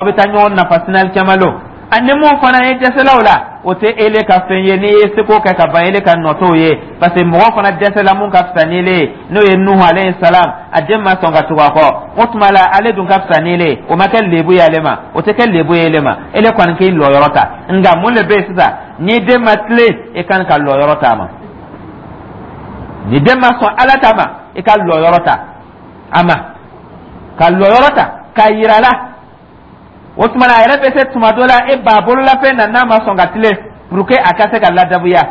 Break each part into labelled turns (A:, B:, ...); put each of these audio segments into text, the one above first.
A: Aw bɛ taa ɲɔgɔn nafa sini alikiyama lon. Ani mun fana ye dɛsɛlaw la, o tɛ ele ka fɛn ye. N'i ye seko kɛ ka ban, ele ka nɔ t'o ye, parce que mɔgɔ fana dɛsɛla mun ka fisa n'ele ye, n'o ye Nuhu alayhi salam, a den ma sɔn ka tugu a kɔ. O tuma la, ale dun ka fisa n'ele ye, o ma kɛ lebu ye ale ma, o tɛ kɛ lebu ye ele ma. Ele kɔni k'i lɔyɔrɔ ta. Nka mun de bɛ yen sisan? Ni den ma tilen, i kan ka lɔyɔrɔ ta a ma. Ni den ma sɔn Ala ta ma, i ka lɔyɔrɔ ta a ma, ka lɔyɔrɔ ta k'a yira a la. O tuma na, a yɛrɛ bɛ se tuma dɔ la, e b'a bololafɛn na, n'a ma sɔn ka tilen, pour que a ka se ka ladabuya.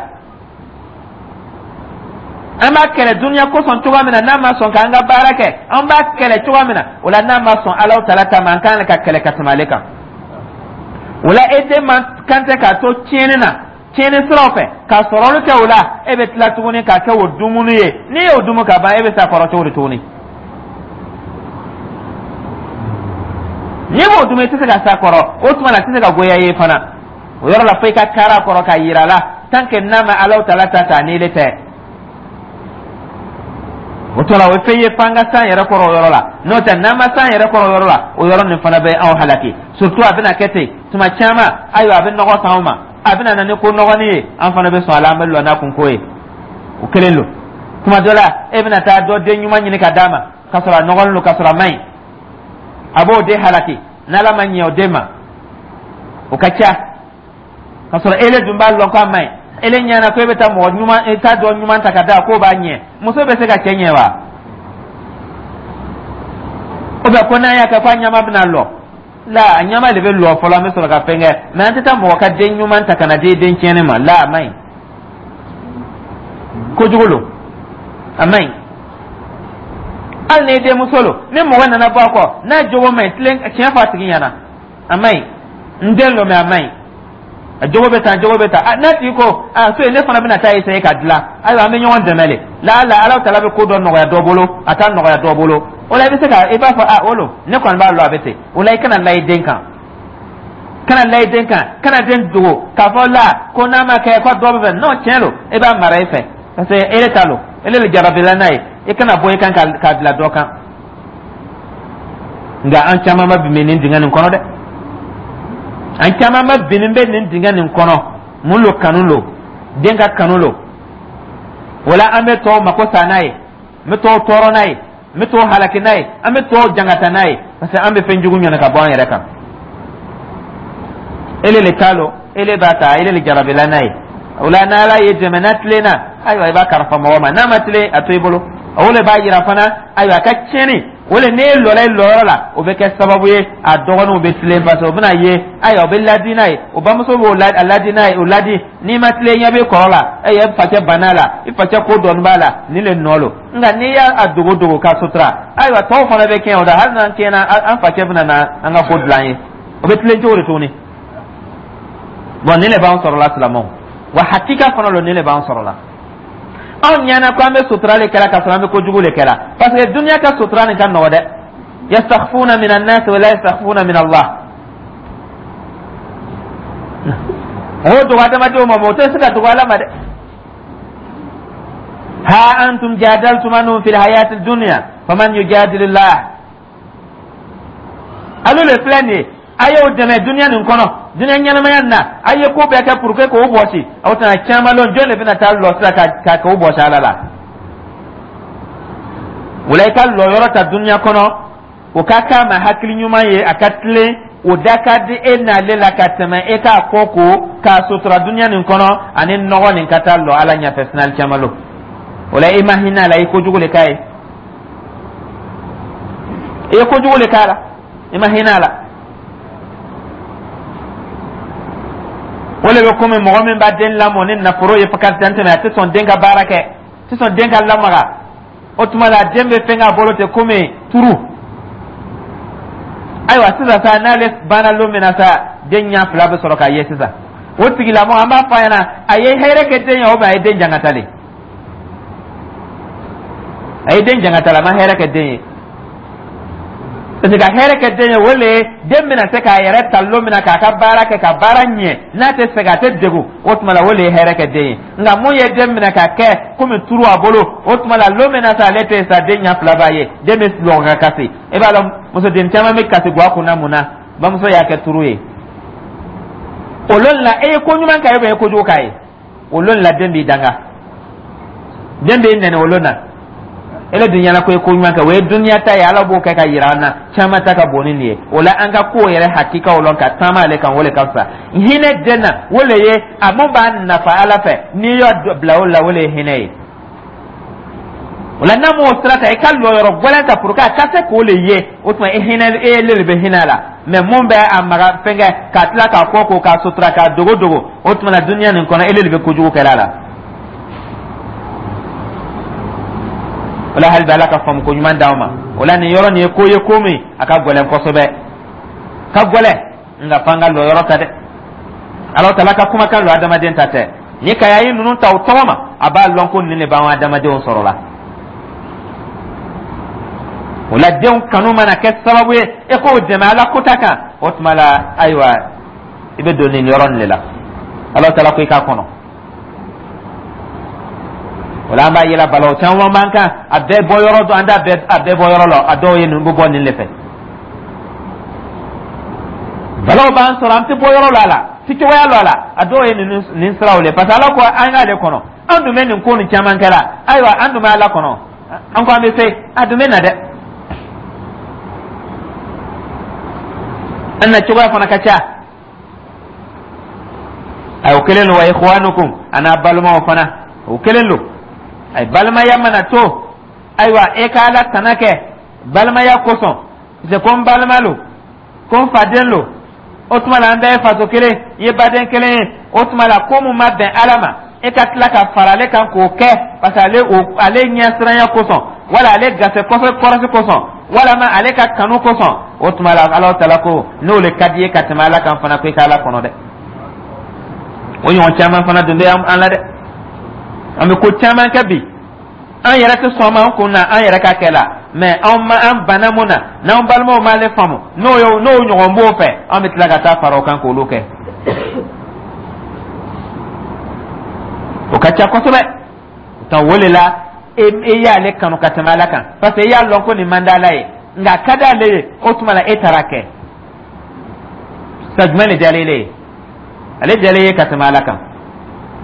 A: An b'a kɛlɛ duniya kosɔn cogoya min na, n'a ma sɔn k'an ka baara kɛ, an b'a kɛlɛ cogoya min na, o la n'a ma sɔn Alahu taala ta ma, an kan ka kɛlɛ ka tɛmɛ ale kan. O la, e den man kan tɛ k'a to tiɲɛni na, tiɲɛni siraw fɛ, ka sɔrɔli kɛ. O la, e bɛ tila tuguni k'a kɛ o dumuni ye. N'i y'o dumu ka ban, e bɛ s'a kɔrɔ cogo di tuguni? N'i b'o dumu, i tɛ se ka s'a kɔrɔ. O tuma na, a tɛ se ka goya i ye fana. O yɔrɔ la, fo i ka kari a kɔrɔ k'a yira a la, tant que n'a ma Alahu taala ta ta n'ile tɛ. O tuma la, o ye fɛn ye f'an ka s'an yɛrɛ kɔrɔ o yɔrɔ la. N'o tɛ, n'an ma s'an yɛrɛ kɔrɔ o yɔrɔ la, o yɔrɔ nin fana bɛ anw halaki. Surtout a bɛna kɛ ten tuma caman. Ayiwa, a bɛ nɔgɔ s'anw ma, a bɛna na ni ko nɔgɔnin ye, an fana bɛ sɔn a la, an bɛ lɔ n'a kunko ye. O kelen don. Tuma dɔ la, e bɛna taa dɔ den ɲuman ɲini ka d'a ma, k'a sɔrɔ a nɔgɔlen don, k'a sɔrɔ a man ɲi, a b'o den halaki. N'Ala ma ɲɛ o den ma, o ka ca, k'a sɔrɔ ele dun b'a lɔn k'a man ɲi. Ele ɲɛna ko e bɛ taa mɔgɔ ɲuman, e t'a dɔ ɲuman ta ka d'a k'o b'a ɲɛ. Muso bɛ se ka cɛ ɲɛ wa? O bɛ ko n'a y'a kɛ k'a ɲama bɛna lɔ la, a ɲama de bɛ lɔ fɔlɔ, an bɛ sɔrɔ ka fɛn kɛ. Mɛ an tɛ taa mɔgɔ ka den ɲuman ta ka na di den tiɲɛnen ma la. A man ɲi, kojugu lo, a man ɲi. Hali n'i denmuso lo, ni mɔgɔ nana bɔ a kɔ n'a jogo man ɲi, tilen tiɲɛ fɔ a tigi ɲɛna: a man ɲi, n den lo, mɛ a man ɲi, a jogo bɛ tan, jogo bɛ tan. N'a tigi ko a so ye, ne fana bɛna taa essayer ka dilan. Ayiwa, an bɛ ɲɔgɔn dɛmɛ le la. Ala Ala taala bɛ ko dɔ nɔgɔya dɔ bolo, a t'a nɔgɔya dɔ bolo. O la, i bɛ se ka i b'a fɔ a o lo, ne kɔni b'a lɔn a bɛ ten. O la, i kana la i den kan, kana la i den kan, kana den dogo k'a fɔ la ko n'a ma kɛ ko dɔ bɛ fɛ. Non, tiɲɛ lo, e b'a mara i fɛ, parce que e ta lo, ele le jarabila n'a ye. I kana bɔ i kan k'a bila dɔ kan. Nka an caman ma bin nin dingɛ nin kɔnɔ dɛ, an caman ma binnin bɛ nin dingɛ nin kɔnɔ. Mun lo? Kanu lo, den ka kanu lo. Wala an bɛ tɔw mako sa n'a ye, n bɛ tɔw tɔɔrɔ n'a ye, n bɛ tɔw halaki n'a ye, an bɛ tɔw jangata n'a ye, parce que an bɛ fɛn jugu ɲɔni ka bɔ an yɛrɛ kan. Ele le ta lo, ele b'a ta, ele le jarabila n'a ye. O la, n'Ala ye dɛmɛ, n'a tilenna, ayiwa, i b'a kalifa mɔgɔ ma. N'a ma tilen, a to i bolo. O le b'a yira fana, ayiwa, a ka tiɲɛni o le, n'e lɔla i lɔyɔrɔ la, o bɛ kɛ sababu ye a dɔgɔninw bɛ tilen, parce que o bɛna ye, ayiwa, o bɛ ladi n'a ye, o bamuso b'o ladi n'a ye, o ladi. N'i ma tilen, ɲɛ b'i kɔrɔ la, e facɛ banna la, i facɛ ko dɔɔni b'a la, nin le nɔ lo. Nka n'i y'a dogo dogo k'a sutura, ayiwa, tɔw fana bɛ kɛɲɛ o da. Hali n'an kɛɲɛna, an facɛ bɛna na an ka ko dilan ye, o bɛ tilen cogo di tuguni? Bɔn, nin le b'an sɔrɔ la, silamɛw. Wa hakika fana lo, nin le b'an sɔrɔ la. Anw ɲɛna ko an bɛ sutura le kɛla, k'a sɔrɔ an bɛ kojugu le kɛla, parce que duniya ka sutura nin ka nɔgɔ dɛ. Yastakhfuna min annas wa la yastakhfuna min Allah. O dogo adamadenw ma, o tɛ se ka dogo Ala ma dɛ. Ha antum jadaltum anhum fil hayati dunya faman yujadilillah. Alu le filɛ nin ye, a y'o dɛmɛ duniya nin kɔnɔ, duniya ɲɛnamaya nin na, a ye ko bɛɛ kɛ pour que k'o bɔsi. Aw tɛna caman lɔn jɔn de bɛna taa lɔ sisan ka k'o bɔsi Ala la. O la, i ka lɔyɔrɔ ta duniya kɔnɔ, o ka k'a ma hakili ɲuman ye, a ka tilen, o da ka di e n'ale la ka tɛmɛ e k'a kɔ ko k'a sutura duniya nin kɔnɔ ani nɔgɔ nin ka taa lɔ Ala ɲɛfɛ sini alikiyama lon. O la, i ma hinɛ a la, i kojugu le k'a ye, i ye kojugu le k'a la, i ma hinɛ a la. O le bɛ komi mɔgɔ min b'a den lamɔ ni nafolo ye fo ka dan tɛmɛ, a tɛ sɔn den ka baara kɛ, a tɛ sɔn den ka lamaga. O tuma la, den bɛ fɛn k'a bolo ten komi turu. Ayiwa, sisan sa, n'ale banna lon min na sa, den ɲɛ fila bɛ sɔrɔ k'a ye sisan. O tigilamɔgɔ, an b'a fɔ a ɲɛna, a ye hɛrɛ kɛ den ye o, a ye den jangata le, a ye den jangata le, a ma hɛrɛ kɛ den ye. Parce que ka hɛrɛ kɛ den ye, o le ye den bɛna se k'a yɛrɛ ta lon min na k'a ka baara kɛ, ka baara ɲɛ, n'a tɛ sɛgɛn, a tɛ degun, o tuma la, o le ye hɛrɛ kɛ den ye. Nka mun ye den minɛ ka kɛ komi turu a bolo, o tuma la, lon min na sa ale tɛ yen sa, den ɲɛ fila b'a ye, den bɛ lɔgɔ ka kasi. I b'a dɔn, musoden caman bɛ kasi guwa kunna mun na? Bamuso y'a kɛ turu ye. O lon la, e ye ko ɲuman k'a ye, e ye kojugu k'a ye. O lon la, den b'i danga, den b'i nɛnɛ o lon na. Ele dun ɲɛna ko ye ko ɲuman kɛ, o ye duniya ta ye. Ala b'o kɛ ka yira an na. Caman ta ka bon ni nin ye. O la, an ka kow yɛrɛ hakikaw lɔn ka taama ale kan, o le ka fisa. Hinɛ den na, o le ye a mun b'a nafa Ala fɛ. N'i y'a bila o la, o le ye hinɛ ye. O la, n'a m'o sira ta, i ka lɔyɔrɔ gɛlɛn ta pour que a ka se k'o le ye. O tuma, e hinɛ, e le bɛ hinɛ a la. Mɛ mun bɛ a maga fɛnkɛ ka tila k'a kɔ ko k'a sutura, k'a dogo dogo, o tuma na, duniya nin kɔnɔ, e le bɛ kojugu kɛra a la. O la, hali bi, Ala ka faamu ko ɲuman d'anw ma. O la, nin yɔrɔ nin ye ko ye, ko min a ka gɛlɛn kosɛbɛ, ka gɛlɛn, nka f'an ka lɔyɔrɔ ta dɛ. Ala taala ka kumakan lo, adamaden ta tɛ. Ni ka ye ninnu ta u tɔgɔ ma, a b'a lɔn ko nin de b'an adamadenw sɔrɔ la. O la, denw kanu mana kɛ sababu ye e k'o dɛmɛ Ala kota kan, o tuma la, ayiwa, i bɛ don nin yɔrɔ nin de la. Ala taala ko i k'a kɔnɔ. O la, an b'a yela balaw caman b'an kan, a bɛɛ bɔ yɔrɔ dɔn, an t'a bɛɛ, a bɛɛ bɔ yɔrɔ la. A dɔw ye ninnu bɛ bɔ nin de fɛ. Balaw b'an sɔrɔ, an tɛ bɔ yɔrɔ la, a la ti cogoya lɔ a la. A dɔw ye nin nin siraw le, parce que Ala ko an k'ale kɔnɔ. An dun bɛ nin ko nin caman kɛra. Ayiwa, an dun bɛ Ala kɔnɔ, an ko an bɛ se, a dun bɛ na dɛ. An na cogoya fana ka ca. Ayi, o kelen don. Wa ikhwanukum, a n'a balimaw fana, o kelen don. Ayi, balimaya mana to, ayiwa, e ka Ala tana kɛ balimaya kosɔn, parce que ko n balima lo, ko n faden lo, o tuma la, an bɛɛ ye faso kelen i ye, baden kelen ye. O tuma la, ko mun ma bɛn Ala ma, e ka tila ka fara ale kan k'o kɛ, parce que ale o ale ɲɛsiranya kosɔn, wala ale gase kɔsɔ kɔrɔsi kosɔn, walama ale ka kanu kosɔn, o tuma la, Ala taala ko n'o le ka di ye ka tɛmɛ Ala kan fana, ko i ka Ala kɔnɔ dɛ. O ɲɔgɔn caman fana dun bɛ an la dɛ. An bɛ ko caman kɛ bi, an yɛrɛ tɛ sɔn ma an kun na an yɛrɛ ka kɛ la. Mɛ anw ma an banna mun na, n'an balimaw m'ale faamu, n'o ye n'o ɲɔgɔn b'o fɛ, an bɛ tila ka taa fara o kan k'olu kɛ. O ka ca kosɛbɛ. O o le la, e e y'ale kanu ka tɛmɛ Ala kan, parce que e y'a lɔn ko nin man d'Ala ye, nka a ka d'ale ye. O tuma la, e taara kɛ sa jumɛn de diyalen ye? Ale diyalen ye ka tɛmɛ Ala kan.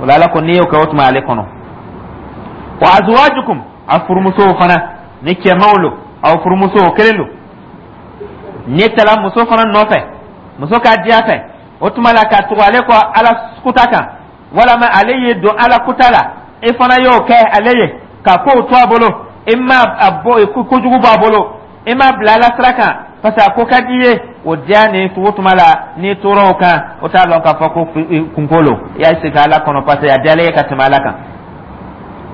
A: O la, Ala ko n'i y'o kɛ, o tuma ale kɔnɔ. Wa azwajukum, a furumusow fana, ni cɛmanw lo, aw furumusow kelen lo. N'i taara muso fana nɔfɛ, muso ka diya fɛ, o tuma la, ka tugu ale kɔ Ala kuta kan, walama ale ye don Ala kuta la, e fana y'o kɛ ale ye ka kow to a bolo, e ma a bɔ kojugu b'a bolo, e m'a bila Ala sira kan, parce que a ko ka di i ye. O diya ni tugu tuma la, n'i tora o kan, o t'a lɔn k'a fɔ ko kunko lo. I y'a sigi Ala kɔnɔ, parce que a diyalen ye ka tɛmɛ Ala kan.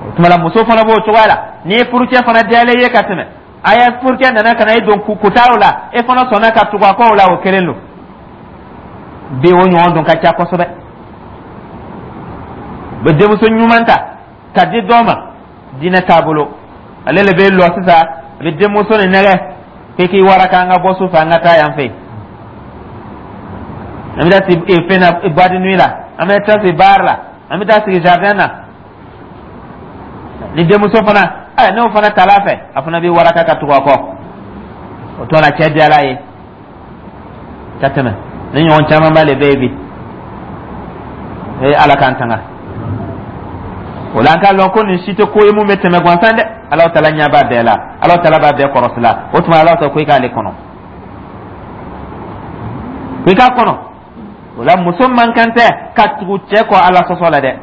A: O tuma la, muso fana b'o cogoya la. N'i ye furucɛ fana diyalen ye ka tɛmɛ, a ye furucɛ nana ka na e don kutaw la, e fana sɔnna ka tugu a kɔ o la, o kelen don. Bi, o ɲɔgɔn dun ka ca kosɛbɛ. U bɛ denmuso ɲuman ta ka di dɔ ma, diinɛ taabolo, ale le bɛ lɔ sisan, a bɛ denmuso nin nɛgɛ k'e k'i waraka, an ka bɔ su fɛ, an ka taa yan fɛ, an bɛ taa sigi fɛn na, boîte de nuit la, an bɛ taa sigi bar la, an bɛ taa sigi jardin na. Ni denmuso fana ɛ n'o fana taala fɛ, a fana bɛ waraka ka tugu a kɔ. O tuma na, cɛ diyara ye ka tɛmɛ. Ni ɲɔgɔn camanba le bɛ yen bi. Ee, Ala k'an tanga. O la, an k'a lɔn ko nin si tɛ ko ye mun bɛ tɛmɛ gansan dɛ. Ala taala ɲɛ b'a bɛɛ la, Ala taala b'a bɛɛ kɔrɔsi la. O tuma, Ala ta ko i k'ale kɔnɔ, ko i k'a kɔnɔ. O la, muso man kan tɛ ka tugu cɛ kɔ Ala sɔsɔ la dɛ.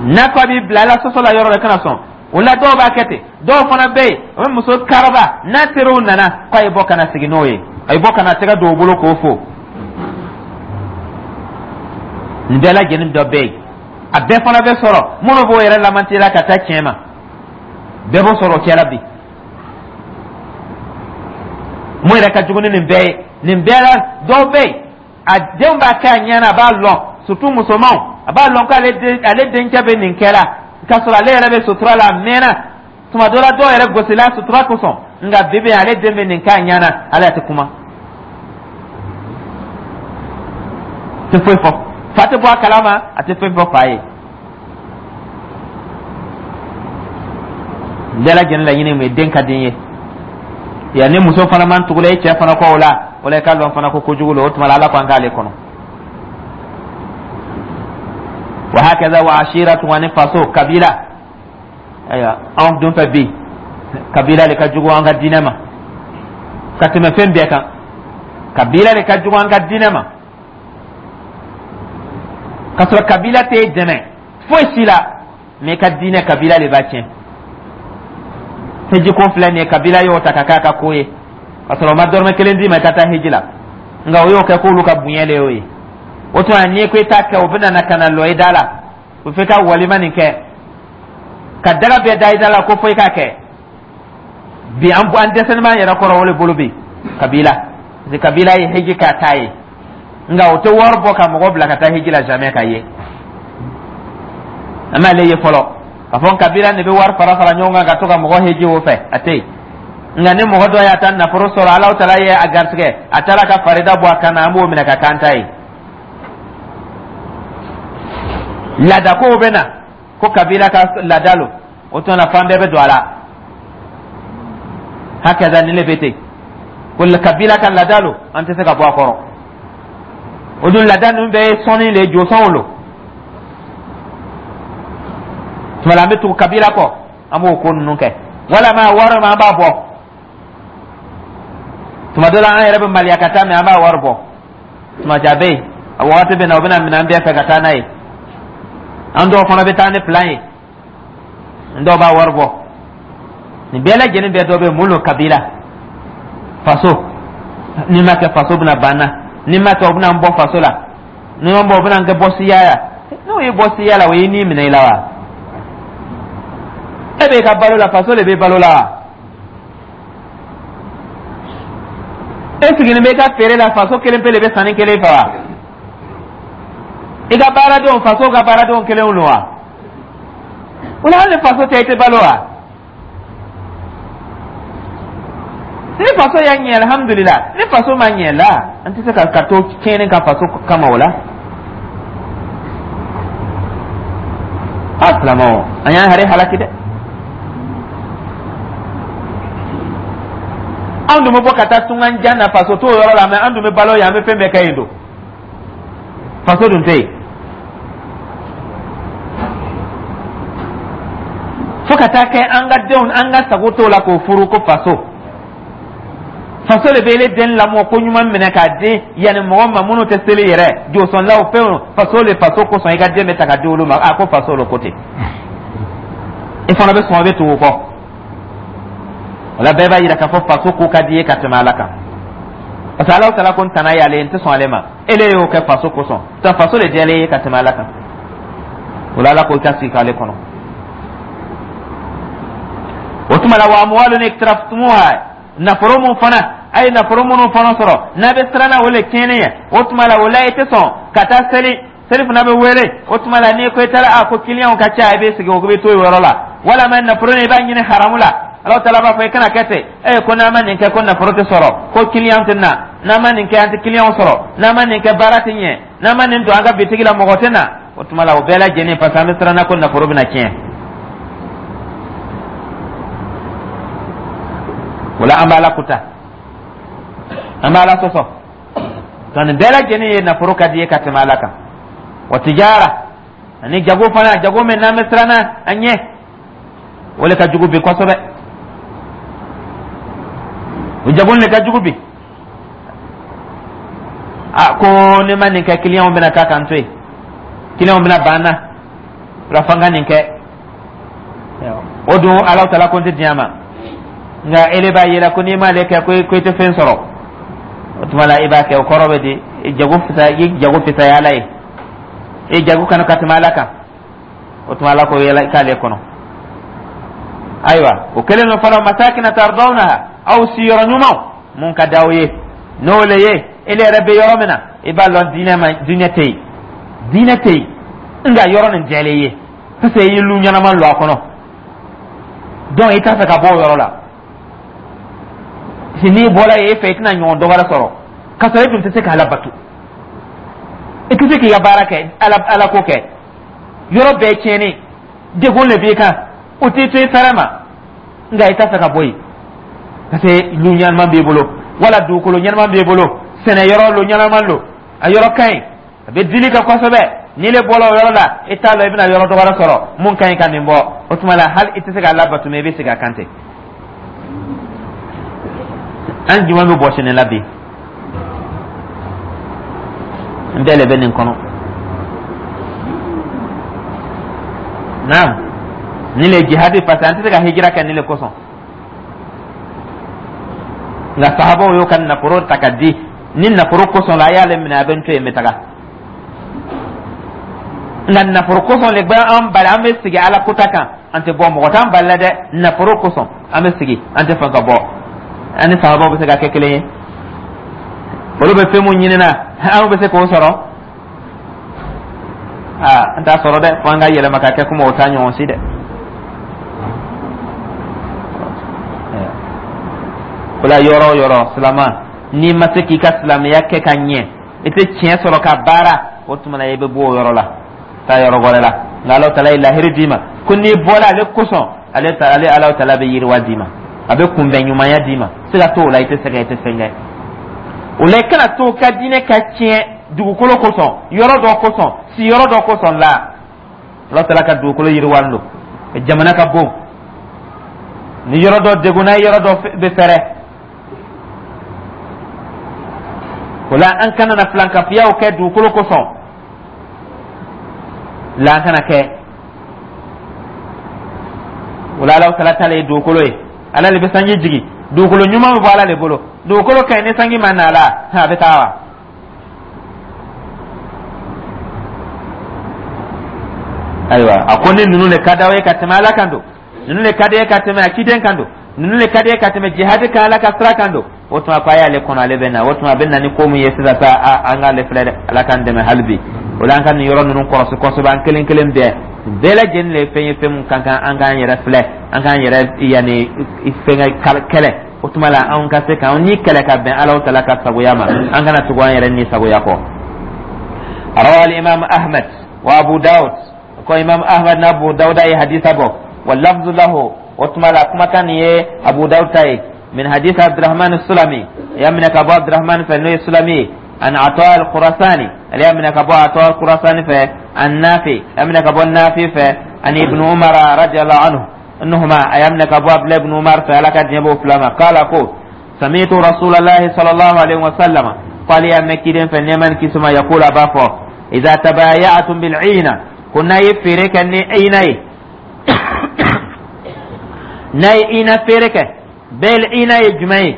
A: N'a ko a b'i bila Ala sɔsɔ la yɔrɔ la, kana sɔn o la. Dɔw b'a kɛ ten. Dɔw fana bɛ yen, o bɛ muso karaba, n'a teriw nana k'a ye bɔ ka na sigi n'o ye, a ye bɔ ka na tɛgɛ don o bolo k'o fo. Nin bɛɛ lajɛlen dɔ bɛ yen. A bɛɛ fana bɛ sɔrɔ minnu b'o yɛrɛ lamantila ka taa tiɲɛ ma, bɛɛ b'o sɔrɔ o cɛ la bi. Mun yɛrɛ ka jugu ni nin bɛɛ ye, nin bɛɛ la, dɔw bɛ yen, a denw b'a kɛ a ɲɛ na, a b'a lɔn, surtout musomanw, a b'a lɔn k'ale den, ale dencɛ bɛ nin kɛ la, k'a sɔrɔ ale yɛrɛ bɛ sutura la a mɛnna. Tuma dɔ la, dɔw yɛrɛ gosila sutura kosɔn, nka bi bi, ale den bɛ nin kɛ a ɲɛ na, ale tɛ kuma, tɛ foyi fɔ. Fa tɛ bɔ a kalama, a tɛ foyi fɔ fa ye. Bɛɛ lajɛlen laɲini mun ye? Den ka di n ye. Ya ni muso fana man tugula i cɛ fana kɔ o la, o la i ka lɔn fana ko kojugu lo. O tuma la, Ala ko an k'ale kɔnɔ. Wa hakaza wa ashiratu, ani faso, kabila. Ayiwa, anw dun fɛ bi, kabila le ka jugu an ka diinɛ ma ka tɛmɛ fɛn bɛɛ kan. Kabila le ka jugu an ka diinɛ ma, ka sɔrɔ kabila t'e dɛmɛ foyi si la, mais i ka diinɛ, kabila le b'a tiɲɛ. Hiji ko filɛ nin ye, kabila y'o ta ka k'a ka ko ye, ka sɔrɔ o ma dɔrɔmɛ kelen d'i ma i ka taa hiji la, nka o y'o kɛ k'olu ka bonya le y'o ye. O tuma, n'i ko i t'a kɛ, o bɛ na ka na lɔ i da la, o f'i ka walima nin kɛ ka daga bɛɛ da i da la ko fo i k'a kɛ. Bi an dɛsɛlen b'an yɛrɛ kɔrɔ o le bolo bi, kabila, parce que kabila ye hiji k'a ta ye, nka o tɛ wari bɔ ka mɔgɔ bila ka taa hiji la, jamais ka ye. An m'ale ye fɔlɔ k'a fɔ kabila de bɛ wari fara fara ɲɔgɔn kan ka to ka mɔgɔ hiji o fɛ, a tɛ yen. Nka ni mɔgɔ dɔ y'a ta nafolo sɔrɔ, Alahu taala ye a garisɛgɛ, a taara ka farida bɔ a kan na, an b'o minɛ ka k'an ta ye. Laadakow bɛ na ko kabila ka laada lo, o tuma na fan bɛɛ bɛ don a la. Hakaza ni le bɛ ten ko kabila ka laada lo, an tɛ se ka bɔ a kɔrɔ. O dun laada ninnu bɛɛ ye sɔnni le ye, josɔnw lo. Tuma la, an bɛ tugu kabila kɔ, an b'o ko ninnu kɛ, walama wari ma an b'a bɔ. Tuma dɔ la, an yɛrɛ bɛ maliya ka taa, mais an b'a wari bɔ. Tuma ja bɛ yen, a wagati bɛ na, o bɛna minɛ an bɛɛ fɛ ka taa n'a ye. An dɔw fana bɛ taa ni plan ye, n dɔw b'a wari bɔ. Nin bɛɛ lajɛlen bɛɛ dɔ bɛ mun lo? Kabila, faso. N'i ma kɛ, faso bɛna ban na. N'i ma kɛ, o bɛna n bɔ faso la. N'i ma bɔ, o bɛna n kɛ bɔ siya ya. N'o ye bɔ siya la, o ye ni minɛ i la wa? E b'e ka balo la, faso de bɛ balo la wa? E sigilen bɛ i ka feere la, faso kelen pe de bɛ sanni kelen fɛ wa? I ka baaradenw, faso ka baaradenw kelenw don wa? O la, hali ni faso tɛ, i tɛ balo wa? Ni faso y'a ɲɛ, alhamdulila. Ni faso ma ɲɛ la, an tɛ se ka to tiɲɛni ka faso kama o la. A silamɛw, an y'an yɛrɛ halaki dɛ. Anw dun bɛ bɔ ka taa tungan jan na, faso t'o yɔrɔ la, mais an dun bɛ balo yen, an bɛ fɛn bɛɛ kɛ yen don, faso dun tɛ yen. Fo ka taa kɛ an ka denw, an ka sago t'o la k'o furu ko faso. Faso de bɛ ele den lamɔ ko ɲuman minɛ k'a di yanni mɔgɔ ma minnu tɛ seli yɛrɛ, josɔnlaw, fɛnw. Faso le, faso kosɔn i ka den bɛ ta ka di olu ma. A ko faso lo ko ten, i fana bɛ sɔn, i bɛ tugu o kɔ. O la, bɛɛ b'a yira k'a fɔ faso ko ka di ye ka tɛmɛ Ala kan, parce que Ala taala ko n tana y'ale ye, n tɛ sɔn ale ma. Ele y'o kɛ faso kosɔn, ta faso de diyalen ye ka tɛmɛ Ala kan. O la, Ala ko i ka sigi k'ale kɔnɔ. O tuma la, wa amuwalun iktaraftumuha, nafolo mun fana a ye nafolo minnu fana sɔrɔ n'a bɛ siran na o le tiɲɛni ye, o tuma la, o la i tɛ sɔn ka taa seli. Seli fana bɛ wele, o tuma la n'i ko i taara, a ko kiliyanw ka ca, i bɛ sigi, o bɛ to yen yɔrɔ la. Walama nafolo in, i b'a ɲini haramu la. Ala taala b'a fɔ i kana kɛ ten. E ko n'an ma nin kɛ ko nafolo tɛ sɔrɔ, ko kiliyan tɛ na. N'an ma nin kɛ, an tɛ kiliyanw sɔrɔ. N'an ma nin kɛ, baara tɛ ɲɛ. N'an ma nin don an ka bitigi la, mɔgɔ tɛ na. O tuma la, o bɛɛ lajɛlen, parce que an bɛ siran na ko nafolo bɛna tiɲɛ. O la, an b'Ala kuta, an b'Ala sɔsɔ. Nka nin bɛɛ lajɛlen ye nafolo ka di ye ka tɛmɛ Ala kan. Wa tijara, ani jago fana, jago min n'an bɛ siran na a ɲɛ, o le ka jugu bi kosɛbɛ. O jago le ka jugu bi. A ko ni ma nin kɛ, kiliyanw bɛna taa k'an to yen, kiliyanw bɛna ban na, o la fo n ka nin kɛ. O dun, Ala taala ko n tɛ diɲɛ ma, nka ele b'a yira ko n'i m'ale kɛ, ko i tɛ fɛn sɔrɔ. O tuma la, i b'a kɛ. O kɔrɔ bɛ di? I jago fisaya, i jago fisaya Ala ye, i jago kanu ka tɛmɛ Ala kan. O tuma, Ala ko yala i k'ale kɔnɔ. Ayiwa, o kɛlen don fana, masakina tardawnaha, aw siyɔrɔ ɲumanw mun ka d'aw ye, n'o le ye ele yɛrɛ bɛ yɔrɔ min na, i b'a lɔn diinɛ ma, diinɛ tɛ yen, diinɛ tɛ yen, nka yɔrɔ nin diyalen ye, parce que i ye lu ɲɛnama lɔ a kɔnɔ. Donc i t'a fɛ ka bɔ o yɔrɔ la. Si n'i bɔra yen, e fɛ i tɛna ɲɔgɔn dɔ wɛrɛ sɔrɔ, k'a sɔrɔ e dun tɛ se k'Ala bato, i tɛ se k'i ka baara kɛ, ala ala ko kɛ. Yɔrɔ bɛɛ tiɲɛni, degun le b'i kan, o t'i to i fɛrɛ ma, nka i t'a fɛ ka bɔ yen. Parce que lu ɲɛnama b'i bolo, wala dugukolo ɲɛnama b'i bolo, sɛnɛ yɔrɔ lo ɲɛnama lo, a yɔrɔ ka ɲi, a bɛ dili kɛ kosɛbɛ. N'i le bɔra o yɔrɔ la, i t'a lɔn i bɛna yɔrɔ dɔ wɛrɛ sɔrɔ mun ka ɲi ka nin bɔ. O tuma la, hali i tɛ se k'a labato, mɛ i bɛ segin a kan ten. An jumɛn bɛ bɔsi nin la bi? N bɛɛ le bɛ nin kɔnɔ. Naam, nin le jihadi, parce que an tɛ se ka hijira kɛ nin le kosɔn. Nka sahabaw y'o ka nafolo ta ka di. Ni nafolo kosɔn la, a y'ale minɛ, a bɛ n to yen, n bɛ taga. Nka nafolo kosɔn le bɛ an bali, an bɛ sigi Ala kota kan, an tɛ bɔ. Mɔgɔ t'an bali la dɛ, nafolo kosɔn an bɛ sigi, an tɛ fɛn ka bɔ. An ni sahabaw bɛ se ka kɛ kelen ye? Olu bɛ fɛn mun ɲinina, anw bɛ se k'o sɔrɔ? Aa, an t'a sɔrɔ dɛ, fo an ka yɛlɛma ka kɛ komi o t'a ɲɔgɔn si dɛ. O la, yɔrɔ o yɔrɔ, silama, n'i ma se k'i ka silamɛya kɛ ka ɲɛ, i tɛ tiɲɛ sɔrɔ ka baara, o tuma na i bɛ bɔ o yɔrɔ la, taa yɔrɔ wɛrɛ la. Nka Alahu taala ye lahiri d'i ma ko n'i bɔra ale kosɔn, ale ta ale Alahu taala bɛ yiriwa d'i ma, a bɛ kunbɛn ɲumanya d'i ma. Siga t'o la, i tɛ sɛgɛn, i tɛ fɛn kɛ. O la, i kana to ka diinɛ ka tiɲɛ dugukolo kosɔn, yɔrɔ dɔ kosɔn, siyɔrɔ dɔ kosɔn la. Ala taala ka dugukolo yiriwalen don, jamana ka bon. Ni yɔrɔ dɔ degunna, yɔrɔ dɔ bɛ fɛrɛ. O la, an kana na filankafiyaw kɛ dugukolo kosɔn la, an kana kɛ o la. Ala taala ta le ye dugukolo ye, Ala le bɛ sanji jigin, dugukolo ɲuman bɛ bɔ Ala le bolo. Dugukolo ka ɲi, ni sanji ma na a la, a bɛ taa wa? Ayiwa, a ko ni ninnu le ka d'aw ye ka tɛmɛ Ala kan don, ninnu le ka di ye ka tɛmɛ a ciden kan don, ninnu le ka di ye ka tɛmɛ jihadi kan Ala ka sira kan don, o tuma ko a y'ale kɔnɔ, ale bɛ na. O tuma a bɛ na ni ko min ye sisan sa, an k'ale filɛ dɛ. Ala k'an dɛmɛ hali bi. O la, an ka nin yɔrɔ ninnu kɔlɔsi kosɛbɛ, an kelen kelen bɛɛ. Bɛɛ lajɛlen le ye fɛn ye, fɛn mun ka kan an k'an yɛrɛ filɛ, an k'an yɛrɛ yanni fɛnkɛ kɛlɛ. O tuma la, anw ka se k'an ni kɛlɛ ka bɛn Ala taala ka sagoya ma, an kana tugu an yɛrɛ ni sagoya kɔ. Rawa al-imam Ahmad wa Abu Dawud, ko Imam Ahmad na Abu Dawud ye hadisa bɔ. Wa lafzu lahu, o tuma la kumakan nin ye Abu Dawud ta ye, min hadith Abdurrahman Sulami, ya minɛ ka bɔ Abdurrahman fɛ, n'o ye Sulami ye, an Ata al-Khurasani, ale y'a minɛ ka bɔ Ata al-Khurasani fɛ, an Nafi, ya minɛ ka bɔ Nafi fɛ, an Ibn Umar radiyallahu anhu anhuma, a y'a minɛ ka bɔ Abdullah ibn Umar fɛ, Ala ka diɲɛ b'o fila ma, kala ko sami'tu Rasulullahi sallallahu alaihi wa sallam, k'ale y'a mɛn kiden fɛ, nɛɛma ni kisi ma, yaqulu, a b'a fɔ, idza tabaya'tum bil 'ina, ko n'a ye feere kɛ ni ina ye, n'a ye ina feere kɛ. Bɛl ina ye jumɛn ye?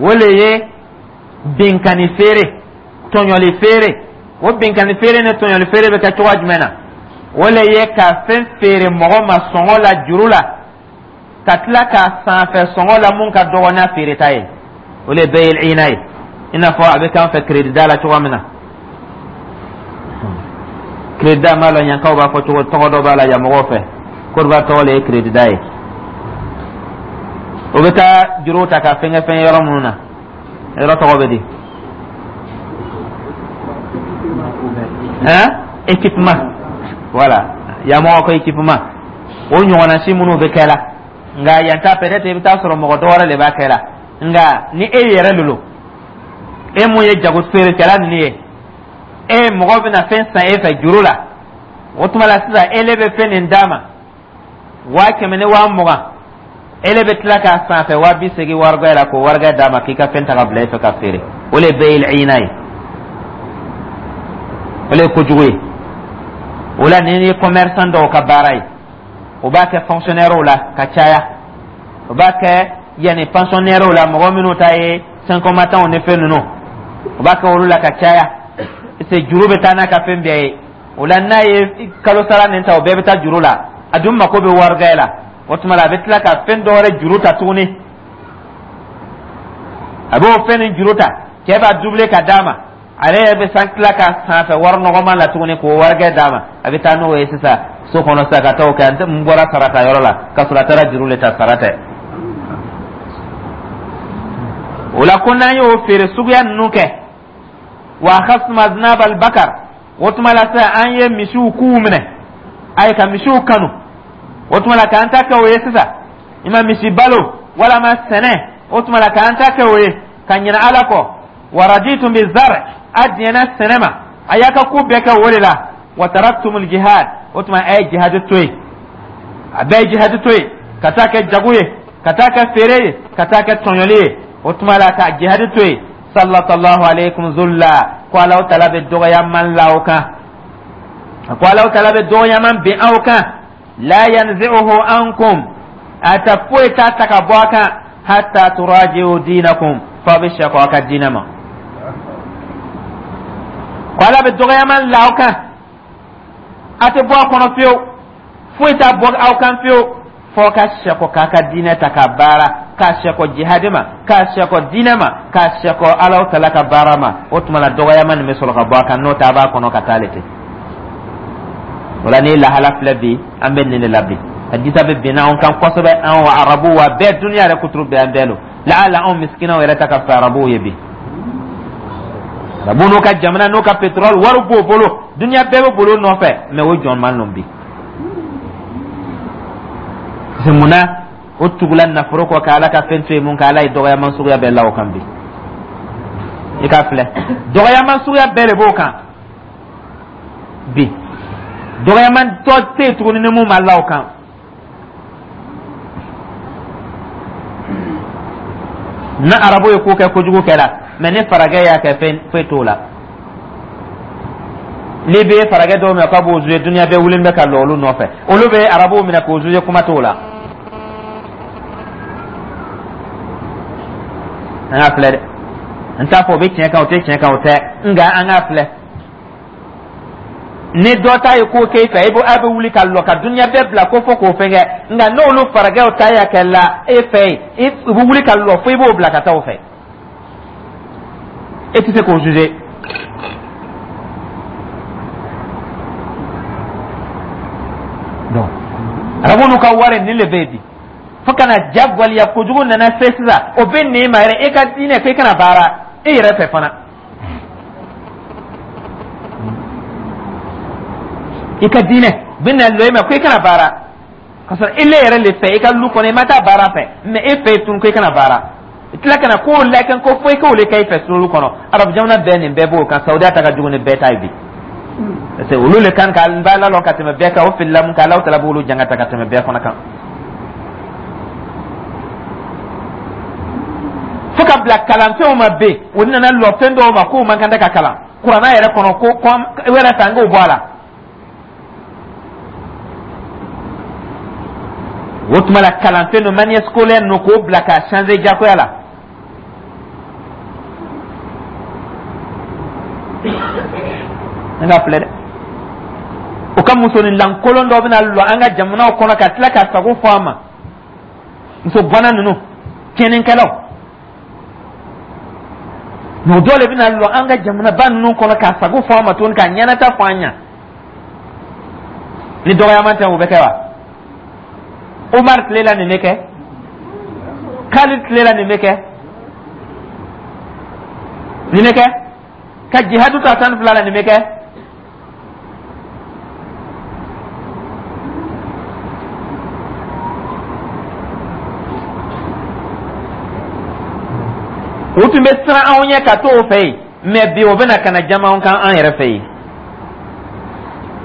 A: O le ye binkanni feere, tɔɲɔli feere. O binkanni feere ni tɔɲɔli feere bɛ kɛ cogoya jumɛn na? O le ye ka fɛn feere mɔgɔ ma sɔngɔ la, juru la, ka tila k'a san fɛ sɔngɔ la mun ka dɔgɔ n'a feereta ye. O le bɛyil ina ye, i n'a fɔ a bɛ k'an fɛ crédit da la cogoya min na. Crédit da, m'a lɔn yankaw b'a fɔ cogo, tɔgɔ dɔ b'a la yan mɔgɔw fɛ. Kodiwari tɔgɔ le ye crédit da ye. O bɛ taa juru ta ka fɛnkɛ fɛn yɔrɔ minnu na, yɔrɔ tɔgɔ bɛ di? Hein, équipement, voilà, yan mɔgɔ ko équipement. O ɲɔgɔnna si minnu bɛ kɛ la, nka yan ta, peut-être i bɛ taa sɔrɔ mɔgɔ dɔ wɛrɛ de b'a kɛ la. Nka ni e yɛrɛ lolo, e mun ye jago feerekɛla ninnu ye, e mɔgɔ bɛna fɛn san e fɛ juru la, o tuma la sisan e le bɛ fɛn nin d'a ma 100 000 ni 20 000, e le bɛ tila k'a san fɛ 80 000 warigɛ la, k'o warigɛ d'a ma k'i ka fɛn ta ka bila e fɛ ka feere. O le bɛyil ina ye, o le ye kojugu ye. O la, nin ye commerçant dɔw ka baara ye, o b'a kɛ fonctionnaire la ka caya, o b'a kɛ yanni pensionnaire la, mɔgɔ minnu ta ye cinq combattants ni fɛn ninnu, o b'a kɛ olu la ka caya, parce que juru bɛ taa n'a ka fɛn bɛɛ ye. O la, n'a ye kalo sara nin ta, o bɛɛ bɛ taa juru la. A dun mako bɛ warigɛ la. O tuma la, a bɛ tila ka fɛn dɔ wɛrɛ juru ta tuguni. A b'o fɛn nin juru ta, cɛ b'a doubler ka d'a ma, ale yɛrɛ bɛ san tila ka san fɛ wari nɔgɔman la tuguni k'o warikɛ d'a ma. A bɛ taa n'o ye sisan so kɔnɔ sisan ka taa o kɛ n bɔra sara ta yɔrɔ la, ka sɔrɔ a taara juru le ta, sara tɛ. O la, ko n'an y'o feere suguya ninnu kɛ, wa akhastum aznab albakar, o tuma la sisan an ye misiw kuw minɛ, ayi, ka misiw kanu. O tuma la k'an ta kɛ o ye sisan, i ma misi balo walama sɛnɛ. O tuma la k'an ta kɛ o ye ka ɲinɛ Ala kɔ. Wa raditum bi zar, a diɲɛna sɛnɛ ma, a y'a ka ko bɛɛ kɛ o de la. Wa taraktumul jihad, o tuma a ye jihad to yen, a bɛɛ ye jihad to yen ka taa kɛ jago ye, ka taa kɛ feere ye, ka taa kɛ tɔɲɔli ye. O tuma la ka jihad to yen. Sallallahu alaykum zulla, ko Alahu taala bɛ dɔgɔyaman la aw kan, ko Alahu taala bɛ dɔgɔyaman bin aw kan. La yanzi'uhu ankum, a ta foyi t'a ta ka bɔ a kan, hatta turaji'u dinakum, f'aw bɛ sɛkɔ aw ka diinɛ ma. Ko Ala bɛ dɔgɔyaman la aw kan, a tɛ bɔ a kɔnɔ fiyewu, foyi t'a bɔ aw kan fiyewu, f'aw ka sɛkɔ k'a ka diinɛ ta ka baara, k'a sɛkɔ jihadi ma, k'a sɛkɔ diinɛ ma, k'a sɛkɔ Alahu taala ka baara ma. O tuma la dɔgɔyaman nin bɛ sɔrɔ ka bɔ a kan, n'o tɛ a b'a kɔnɔ ka taa le ten. O la ni lahala filɛ bi, an bɛ nin de la bi. Hadisa bɛ bin anw kan kosɛbɛ, anw arabuw wa bɛɛ, duniya yɛrɛ kuturu bɛɛ an bɛɛ lo. Laala anw misikinaw yɛrɛ ta ka fisa arabuw ye bi. Arabu n'u ka jamana n'u ka pétrole wari b'o bolo, duniya bɛɛ bɛ bolo nɔfɛ, mais o jɔn man lɔn bi. Mun na o tugula nafolo kɔ ka Ala ka fɛn to yen? Mun ka Ala ye dɔgɔyaman suguya bɛɛ la o kan bi? I k'a filɛ, dɔgɔyaman suguya bɛɛ de b'o kan bi. Dɔgɔyaman tɔ tɛ yen tuguni ni mun ma la o kan. Ni arabu ye ko kɛ, kojugu kɛra, mais ni faragɛ y'a kɛ, fɛn foyi t'o la. N'i bɛ faragɛ dɔw minɛ k'a b'o zuye, duniya bɛɛ wulilen bɛ ka lɔ olu nɔfɛ. Olu bɛ arabuw minɛ k'o zuye, kuma t'o la. An k'a filɛ dɛ, n t'a fɔ o bɛ tiɲɛ kan, o tɛ tiɲɛ kan, o tɛ, nka an k'a filɛ. Ni dɔ ta ye ko k'e fɛ, i bɛ a bɛ wuli ka lɔ ka duniya bɛɛ bila ko fo k'o fɛn kɛ, nka n'olu faragɛw ta y'a kɛ la e fɛ yen, i bɛ wuli ka lɔ fo i b'o bila ka taa o fɛ, e tɛ se k'o juger. Donc arabu n'u ka wari nin de bɛ yen bi, fo ka na jagoya kojugu nana se sisan, o bɛ nin ma yɛrɛ e ka diinɛ k'e kana baara e yɛrɛ fɛ fana. I ka diinɛ bɛ na lɔ i ma ko i kana baara, ka sɔrɔ i le yɛrɛ le fɛ i ka lu kɔnɔ, i ma taa baara fɛ, mais e fɛ yen tun ko i kana baara. I tila ka na k'o lakɛn ko fo i k'o le kɛ i fɛ sulu kɔnɔ. Arabu jamana bɛɛ nin bɛɛ b'o kan, Saudiya ta ka jugu ni bɛɛ ta ye bi, parce que olu le kan ka n b'a lalɔ ka tɛmɛ bɛɛ kan. O filila mun kan, Alahu taala b'olu jangata ka tɛmɛ bɛɛ fana kan. Fo ka bila kalanfɛnw ma bɛn, o nana lɔ fɛn dɔw ma k'o man kan tɛ ka kalan kuranna yɛrɛ kɔnɔ, ko yɛrɛ fɛ an k'o bɔ a la. O tuma la kalanfɛn dɔ manuel scolaire ninnu k'o bila k'a changer jagoya la. An ka filɛ dɛ, o ka musonin lankolon dɔ bɛna lɔ an ka jamanaw kɔnɔ ka tila ka sago fɔ a ma. Muso bɔnna ninnu tiɲɛnikɛlaw mɛ, o dɔw de bɛna lɔ an ka jamanaba ninnu kɔnɔ k'a sago fɔ a ma tuguni, k'a ɲɛnata fɔ an ɲɛ. Ni dɔgɔyaman tɛ, o bɛ kɛ wa? Umar tile la nin bɛ kɛ, Khalid tile la nin bɛ kɛ, nin bɛ kɛ, ka jihadu ta 12 la nin bɛ kɛ. U tun bɛ siran anw ɲɛ ka t'o fɛ yen, mais bi o bɛna ka na jama anw kan an yɛrɛ fɛ yen,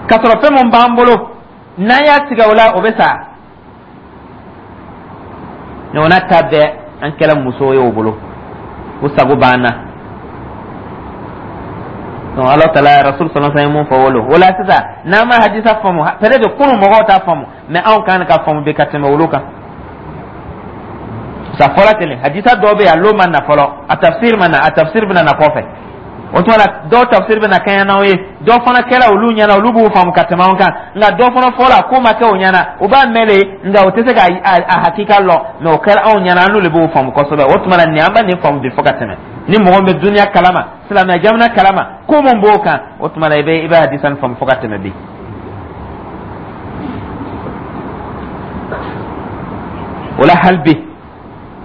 A: k'a sɔrɔ fɛn mun b'an bolo n'an y'a tigɛ o la, o bɛ sa. Mais o n'a ta bɛɛ, an kɛra musow ye o bolo, o sago b'an na. Donc Ala taala Rasul sallallahu alaihi wasallam mun fɔ wolo o la sisan, n'an ma hadisa faamu, peut-être kunun mɔgɔw t'a faamu, mais anw kan ka faamu bi ka tɛmɛ olu kan. Sa fɔla ten, hadisa dɔw bɛ yen, a lo ma na fɔlɔ, a tafsir ma na, a tafsir bɛna na kɔfɛ. O tuma la dɔw tafsir bɛna kɛɲɛ n'anw ye, dɔw fana kɛra olu ɲɛna, olu b'u faamu ka tɛmɛ anw kan, nka dɔw fana fɔla ko ma kɛ o ɲɛna, u b'a mɛn de, nka u tɛ se ka a hakika lɔn, mais o kɛra anw ɲɛna, an n'olu b'o faamu kosɛbɛ. O tuma la nin, an bɛ nin faamu bi fo ka tɛmɛ. Ni mɔgɔ min bɛ duniya kalama, silamɛya jamana kalama, ko mun b'o kan, o tuma la i bɛ hadisa nin faamu fo ka tɛmɛ bi. O la hali bi,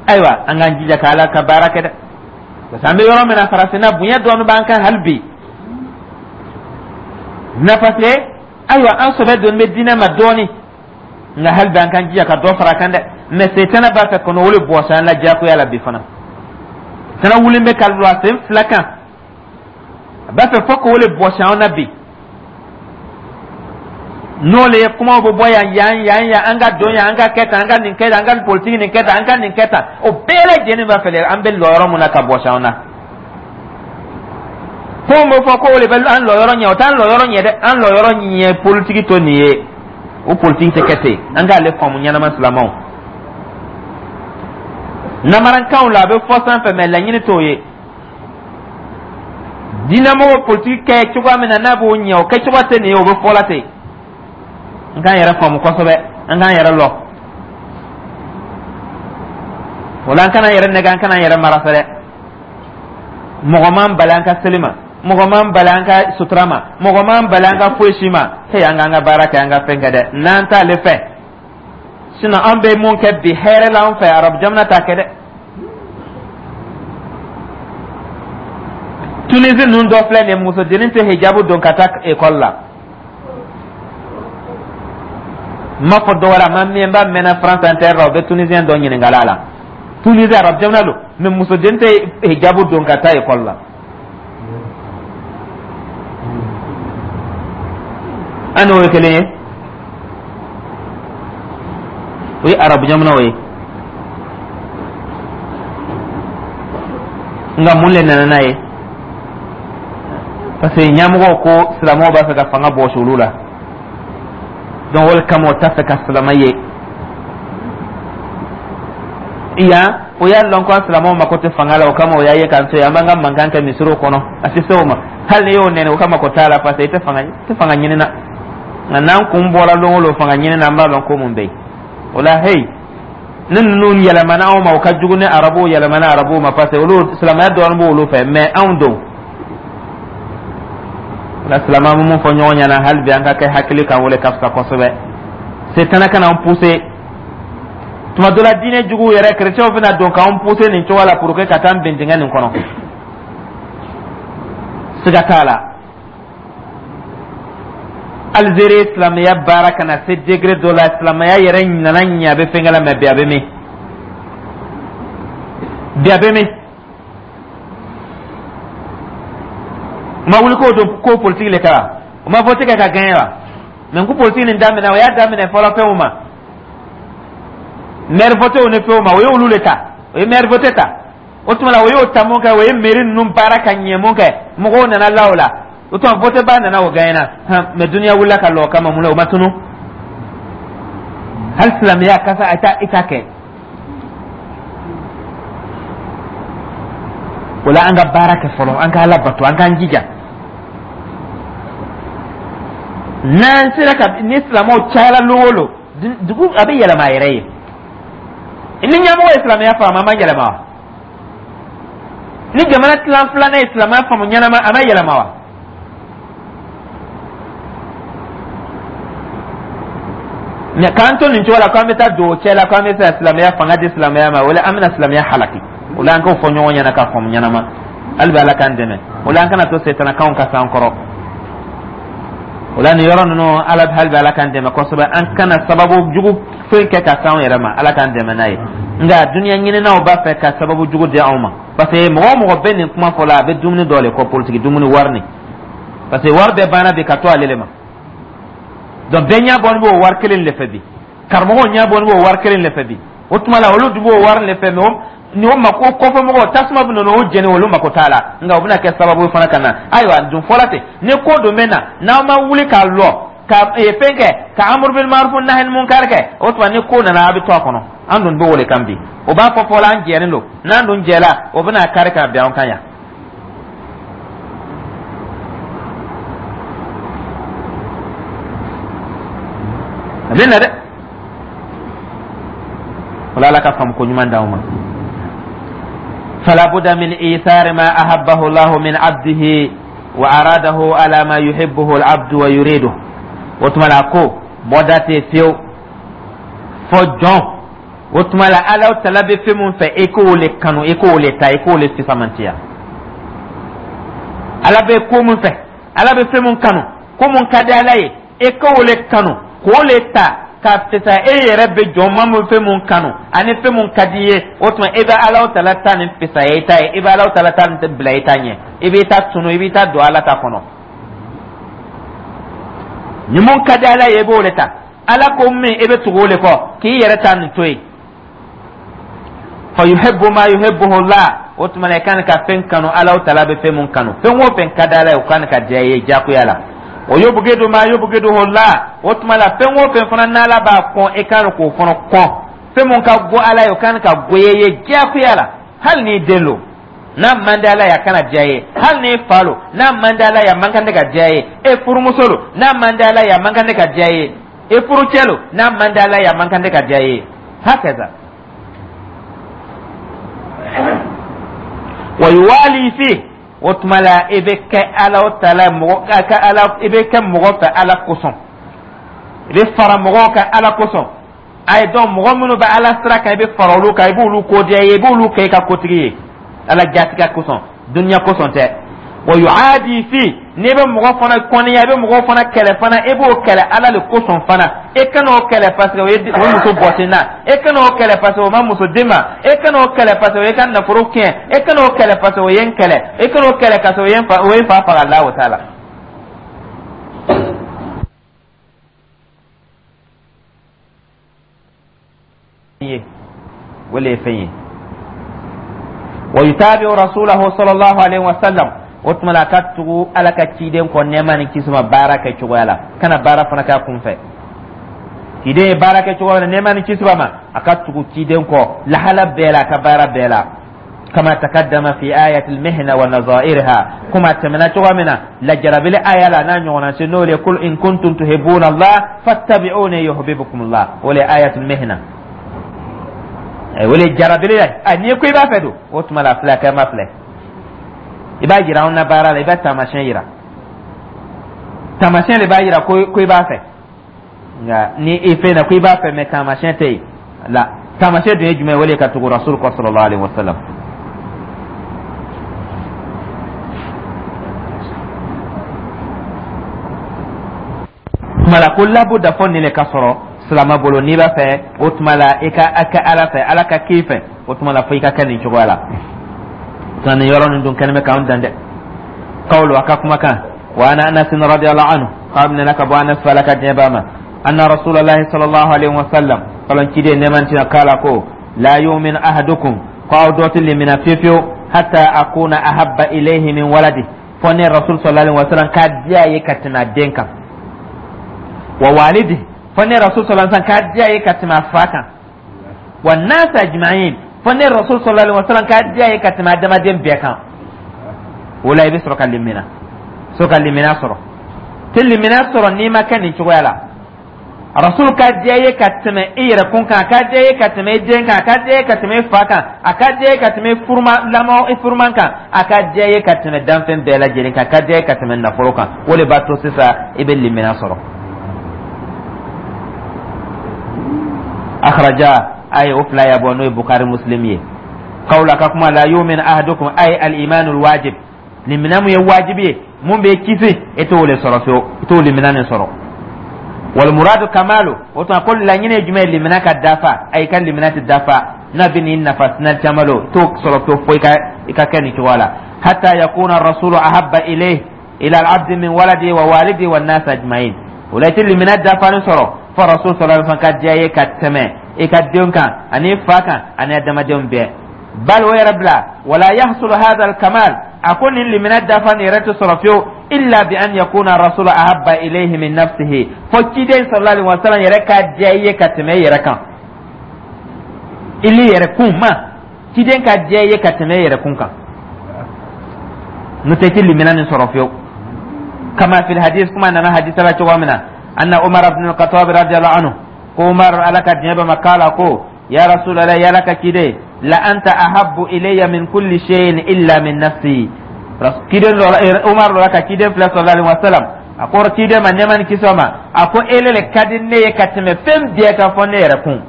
A: ayiwa, an k'an jija ka Ala ka baara kɛ dɛ, parce que an bɛ yɔrɔ min na, farafinna bonya dɔɔni b'an kan hali bi na, parce que ayiwa, an sɔbɛ donni bɛ diinɛ ma dɔɔni, nka hali bi an k'an jija ka dɔ fara a kan dɛ. Mais setana b'a fɛ kɔnɔ o le bɔsi an la diyagoya la bi fana. Tana wulen bɛ ka lɔ a sen fila kan, a b'a fɛ fo k'o le bɔsi an na bi. N'o le ye kumaw bɛ bɔ yan yan yan yan, an ka don yan, an ka kɛ tan, an ka nin kɛ tan, an ka politiki nin kɛ tan, an ka nin kɛ tan, o bɛɛ lajɛlen b'a fɛ an bɛ lɔ yɔrɔ mun na ka bɔsi an na. Ko bɛ fɔ ko o de bɛ an lɔ yɔrɔ ɲɛ, o t'an lɔ yɔrɔ ɲɛ dɛ. An lɔ yɔrɔ ɲɛ politiki to nin ye, o politiki tɛ kɛ ten. An k'ale faamu ɲɛnama. Silamɛw, namarankanw la, a bɛ fɔ sanfɛ, mɛ laɲini t'o ye. Diinɛmɔgɔ politiki kɛ cogoya min na, n'a b'o ɲɛ, o kɛcogo tɛ nin ye, o bɛ fɔ la ten. An k'an yɛrɛ faamu kosɛbɛ, an k'an yɛrɛ lɔ o la, an kana yɛrɛ nɛgɛ, an kana yɛrɛ mara fɛ dɛ. Mɔgɔ m'an bali an ka seli ma, mɔgɔ m'an bali an ka sutura ma, mɔgɔ m'an bali an ka foyi si ma. He, an k'an ka baara kɛ, an ka fɛn kɛ dɛ, n'an t'ale fɛ. Sinon an bɛ mun kɛ bi hɛrɛ la an fɛ, arabu jamana t'a kɛ dɛ. Tunisie ninnu dɔ filɛ nin ye, musodennin tɛ hijabu don ka taa ekɔli la. N m'a fɔ dɔ wɛrɛ, a ma mɛn ba mɛnna France Inter la, o bɛ Tunisien dɔ ɲininkala la. Tunisie, arabu jamana don, mɛ musoden tɛ hijabu don ka taa ekɔli la. An n'o ye kelen ye, o ye arabu jamanaw ye. Nka mun le nana n'a ye? Parce que ɲɛmɔgɔw ko silamɛw b'a fɛ ka fanga bɔsi olu la, donc o le kama o t'a fɛ ka silamɛ ye yan. O y'a lɔn ko an silamɛw mako tɛ fanga la, o kama o y'a ye k'an to yen, an b'an ka mankan kɛ misiriw kɔnɔ. A tɛ se o ma, hali n'i y'o nɛni, o ka mako t'a la, parce que i tɛ fanga, i tɛ fanga ɲini na. Nka n'an kun bɔra lon o lon fanga ɲini na, an b'a lɔn ko mun bɛ yen o la. Hey, ni ninnu yɛlɛmana anw ma, o ka jugu ni arabuw yɛlɛmana arabuw ma, parce que olu silamɛya dɔɔnin b'olu fɛ, mais anw don o la. Silamɛ, an bɛ mun fɔ ɲɔgɔn ɲɛna hali bi? An ka kɛ hakili kan, o le ka fisa kosɛbɛ. Setana kana an pousser. Tuma dɔ la, diinɛ juguw yɛrɛ, kerecɛnw bɛna don k'an pousser nin cogo la pour que ka taa an bin dingɛ nin kɔnɔ, siga t'a la. Algérie, silamɛya baara ka na se degré dɔ la, silamɛya yɛrɛ nana ɲɛ, a bɛ fɛnkɛ la, mɛ bi a bɛ min? Bi a bɛ min? U ma wuli k'o don ko politiki le kɛra, u ma vote kɛ ka gagner wa? Mɛ ko politiki nin daminɛ, o y'a daminɛ fɔlɔ fɛnw ma, maire votew ni fɛnw ma, o ye olu le ta, o ye maire vote ta. O tuma la, o y'o ta mun kɛ, o ye mairie ninnu baara ka ɲɛ mun kɛ, mɔgɔw nana la o la. O tuma vote ba nana, o gagné na. Mɛ duniya wulila ka lɔ o kama mun na? O ma tunu. Hali silamɛya kasa a ta i ta kɛ o la. An ka baara kɛ fɔlɔ, an ka Ala bato, an k'an jija. N'an sera ka ni silamɛw cayara lon o lon, dugu a bɛ yɛlɛma a yɛrɛ ye. Ni ɲɛmɔgɔ ye silamɛya faamu, a ma yɛlɛma wa? Ni jamana tilan filanan ye silamɛya faamu ɲɛnama, a ma yɛlɛma wa? Mɛ k'an to nin cogo la, k'an bɛ taa don o cɛ la, k'an bɛ se ka silamɛya fanga di silamɛya ma, o la an bɛna silamɛya halaki. O la an k'o fɔ ɲɔgɔn ɲɛna k'a faamu ɲɛnama. Hali bi Ala k'an dɛmɛ o la, an kana to setanakanw ka s'an kɔrɔ o la. Nin yɔrɔ ninnu, ala hali bi Ala k'an dɛmɛ kosɛbɛ, an kana sababu jugu foyi kɛ ka s'anw yɛrɛ ma. Ala k'an dɛmɛ n'a ye. Nka duniya ɲininaw b'a fɛ ka sababu jugu di anw ma, parce que mɔgɔ o mɔgɔ bɛ nin kuma fɔ la, a bɛ dumuni dɔ le kɔ, politiki dumuni, wari nin, parce que wari bɛɛ banna bi ka to ale le ma. Donc bɛɛ ɲɛ bɔlen b'o wari kelen de fɛ bi, karamɔgɔw ɲɛ bɔlen b'o wari kelen de fɛ bi. O tuma la, olu dun b'o wari de fɛ, mɛ ni o mako kɔfɛ mɔgɔw tasuma bɛ nana o jɛni, olu mako t'a la. Nka o bɛna kɛ sababu fana ka na. Ayiwa, dun fɔla ten, ni ko dun bɛ na, n'aw ma wuli k'a lɔ ka fɛn kɛ ka amuru bil maruf nahi munkar kɛ, o tuma ni ko nana, a bɛ to a kɔnɔ. An dun b'o de kan bi. O b'a fɔ fɔlɔ an jɛlen don, n'an dun jɛla, o bɛna kari ka bin an kan yan. A bɛ na dɛ. Wala Ala ka faamu ko ɲuman d'anw ma. Fala budda min ithari ma ahabbahu Allah min abdihi wa aradahu ala ma yuhibbuhu al-abdu wa yuriduhu. O tuma la, ko bɔda tɛ fiyewu fɔ jɔn. O tuma la, Ala tala bɛ fɛn mun fɛ, e k'o le kanu, e k'o le ta, e k'o le fisamantiya. Ala bɛ ko mun fɛ, Ala bɛ fɛn mun kanu, ko mun ka di Ala ye, e k'o le kanu, k'o le ta. K'a fisaya e yɛrɛ bɛ jɔn ma mun fɛn mun kanu ani fɛn mun ka di i ye, o tuma e bɛ Alahu Taala ta nin fisaya i ta ye, i bɛ Alahu Taala ta nin bila i ta ɲɛ, i b'i ta tunu, i b'i ta don Ala ta kɔnɔ. Ni mun ka di Ala ye, i b'o de ta. Ala ko min, i bɛ tugu o de kɔ k'i yɛrɛ ta nin to yen. Fa yuhibbu ma yuhibbuhu Allah, o tuma na i kan ka fɛn kanu Alahu Taala bɛ fɛn mun kanu. Fɛn o fɛn ka di Ala ye, o kan ka diya i ye diyagoya la. Wa yubghidu ma yubghiduhu Allah, o tuma la fɛn o fɛn fana n'Ala b'a kɔn, i kan k'o fana kɔn. Fɛn mun ka go Ala ye, o kan ka goya i ye diyagoya la. Hali n'i den lo, n'a man di Ala ye, a kana diya i ye. Hali n'i fa lo, n'a man di Ala ye, a man kan tɛ ka diya i ye. E furumuso lo, n'a man di Ala ye, a man kan tɛ ka diya i ye. E furucɛ lo, n'a man di Ala ye, a man kan tɛ ka diya i ye. Hakaza wa yuwali fi, o tuma la i bɛ kɛ Ala o taala mɔgɔ ka ala, i bɛ kɛ mɔgɔ fɛ Ala kosɔn, i bɛ fara mɔgɔw kan Ala kosɔn. A ye dɔn mɔgɔ minnu bɛ Ala sira kan, i bɛ fara olu kan, i b'olu ko diya i ye, i b'olu kɛ i ka kotigi ye Ala jatigɛ kosɔn, dunuya kosɔn tɛ. Wa yuadi fi, n'i bɛ mɔgɔ fana kɔniya, i bɛ mɔgɔ fana kɛlɛ fana, i b'o kɛlɛ Ala de kosɔn fana. E kana o kɛlɛ parce que o ye o muso bɔsi n na, e kana o kɛlɛ parce que o ma muso di ma, e kana o kɛlɛ parce que o ye ka nafolo tiɲɛ, e kana o kɛlɛ parce que o ye n kɛlɛ, e kana o kɛlɛ parce que o ye n fa faga. La o t'a la. Ye o le ye fɛn ye. Wa yutabi'u rasulahu sallallahu alaihi wa sallam, o tuma la a ka tugu Ala ka ciden kɔ nɛɛma ni kisi ma baara kɛ cogoya la, kana baara fana k'a kun fɛ. Ciden ye baara kɛ cogoya la, nɛɛma ni kisi ma, a ka tugu ciden kɔ lahala bɛɛ la, a ka baara bɛɛ la. Kama takaddama fi ayati al-mihna wa nazairha, kuma tɛmɛna cogo min na lajarabili aya la n'a ɲɔgɔnna se, n'o le kul in kuntum tuhibbuna Allah fattabi'uni yuhibbukum Allah, o le ayatul mihna, o le jarabili ye. A n'i ko i b'a fɛ don, o tuma la filɛ kɛ ma filɛ, i b'a jira anw na baara la, i b'a taamasiyɛn yira, taamasiyɛn de b'a yira ko i b'a fɛ. Nka ni i fɛn na ko i b'a fɛ mɛ taamasiyɛn tɛ yen la, taamasiyɛn dun ye jumɛn ye? O le ka tugu rasul kɔ sallallahu alaihi wasallam. Tuma la ko labuda fɔ nin le ka sɔrɔ silama bolo. N'i b'a fɛ, o tuma la i ka kɛ Ala fɛ, Ala ka k'i fɛ, o tuma la fo i ka kɛ nin cogoya la. Nin yɔrɔ nin dun kɛlen bɛ k'an dan dɛ. Kawlu, a ka kumakan. Wa an Anas radiyallahu anhu, k'a minɛna ka bɔ Anas fa, Ala ka diɲɛ b'a ma, anna rasulullahi sallallahu alaihi wasallam, kalon ciden nɛɛma tina kala ko la yu'min ahadukum, ko aw dɔ tɛ limina fiyewu fiyewu, hatta akuna ahabba ilayhi min waladi, fɔ ne rasul sallallahu alaihi wasallam ka diya ye ka tɛmɛ a den kan, wa walidi, fɔ ne rasul sallallahu alaihi wasallam ka diya ye ka tɛmɛ a fa kan, wa nas ajma'in, fɔ ne rasul sallallahu alaihi wasallam ka diya ye ka tɛmɛ adamaden bɛɛ kan. O la i bɛ sɔrɔ ka limina, sɔrɔ ka limina sɔrɔ. Tɛ limina sɔrɔ n'i ma kɛ nin cogoya la. Rasul ka diya ye ka tɛmɛ i yɛrɛ kun kan, a ka diya ye ka tɛmɛ i den kan, a ka diya ye ka tɛmɛ i fa kan, a ka diya ye ka tɛmɛ i furuma lamɔ, i furuman kan, a ka diya ye ka tɛmɛ danfɛn bɛɛ lajɛlen kan, a ka diya ye ka tɛmɛ nafolo kan. O de b'a to sisan i bɛ limina sɔrɔ. Akhraja, a ye o fila ya bɔ, n'o ye Bukari Muslim ye. Kawla, ka kuma, la yu'min ahadukum, ay al imanul wajib, limina mun ye wajibi ye, mun bɛ kisi, e t'o le sɔrɔ fiyewu, i t'o limina nin sɔrɔ. Wal muradu kamalu, o tuma ko laɲini ye jumɛn ye? Limina ka dafa. Ayi, ka limina tɛ dafa n'a bɛ n'i nafa sina caman lo, t'o sɔrɔ fiyewu fo i ka kɛ nin cogoya la. Hatta yakuna rasulu ahabba ilayhi ila al-abdi min waladi wa walidi wa nas ajma'in. O la i tɛ limina dafalen sɔrɔ fo rasul sallallahu alaihi wasallam ka diya ye ka tɛmɛ i ka denw kan ani fa kan ani adamadenw bɛɛ. Bal, o yɛrɛ bila, wala yahsulu hadha al-kamal, a ko nin limina dafa nin yɛrɛ tɛ sɔrɔ fiyewu, illa bi an yakuna rasulu ahabba ilayhi min nafsihi, fo ciden sallallahu alaihi wasallam yɛrɛ ka diya i ye ka tɛmɛ i yɛrɛ kan, ili yɛrɛ kun ma, ciden ka diya i ye ka tɛmɛ i yɛrɛ kun kan, n'o tɛ i tɛ limina nin sɔrɔ fiyewu. Kama fil hadis, kuma nana hadisa la cogo min na, anna Umar ibn al-Khattab radiyallahu anhu, ko Umar, Ala ka diɲɛ b'a ma, kala ko ya Rasulallah, ya Ala ka ciden, la anta ahabbu ilayya min kulli shay'in illa min nafsi. Ciden Umar lɔra ka ciden filɛ sallallahu alaihi wasallam, a ko ciden ma, nɛɛma ni kisi ma, a ko ele le ka di ne ye ka tɛmɛ fɛn bɛɛ kan fɔ ne yɛrɛ kun,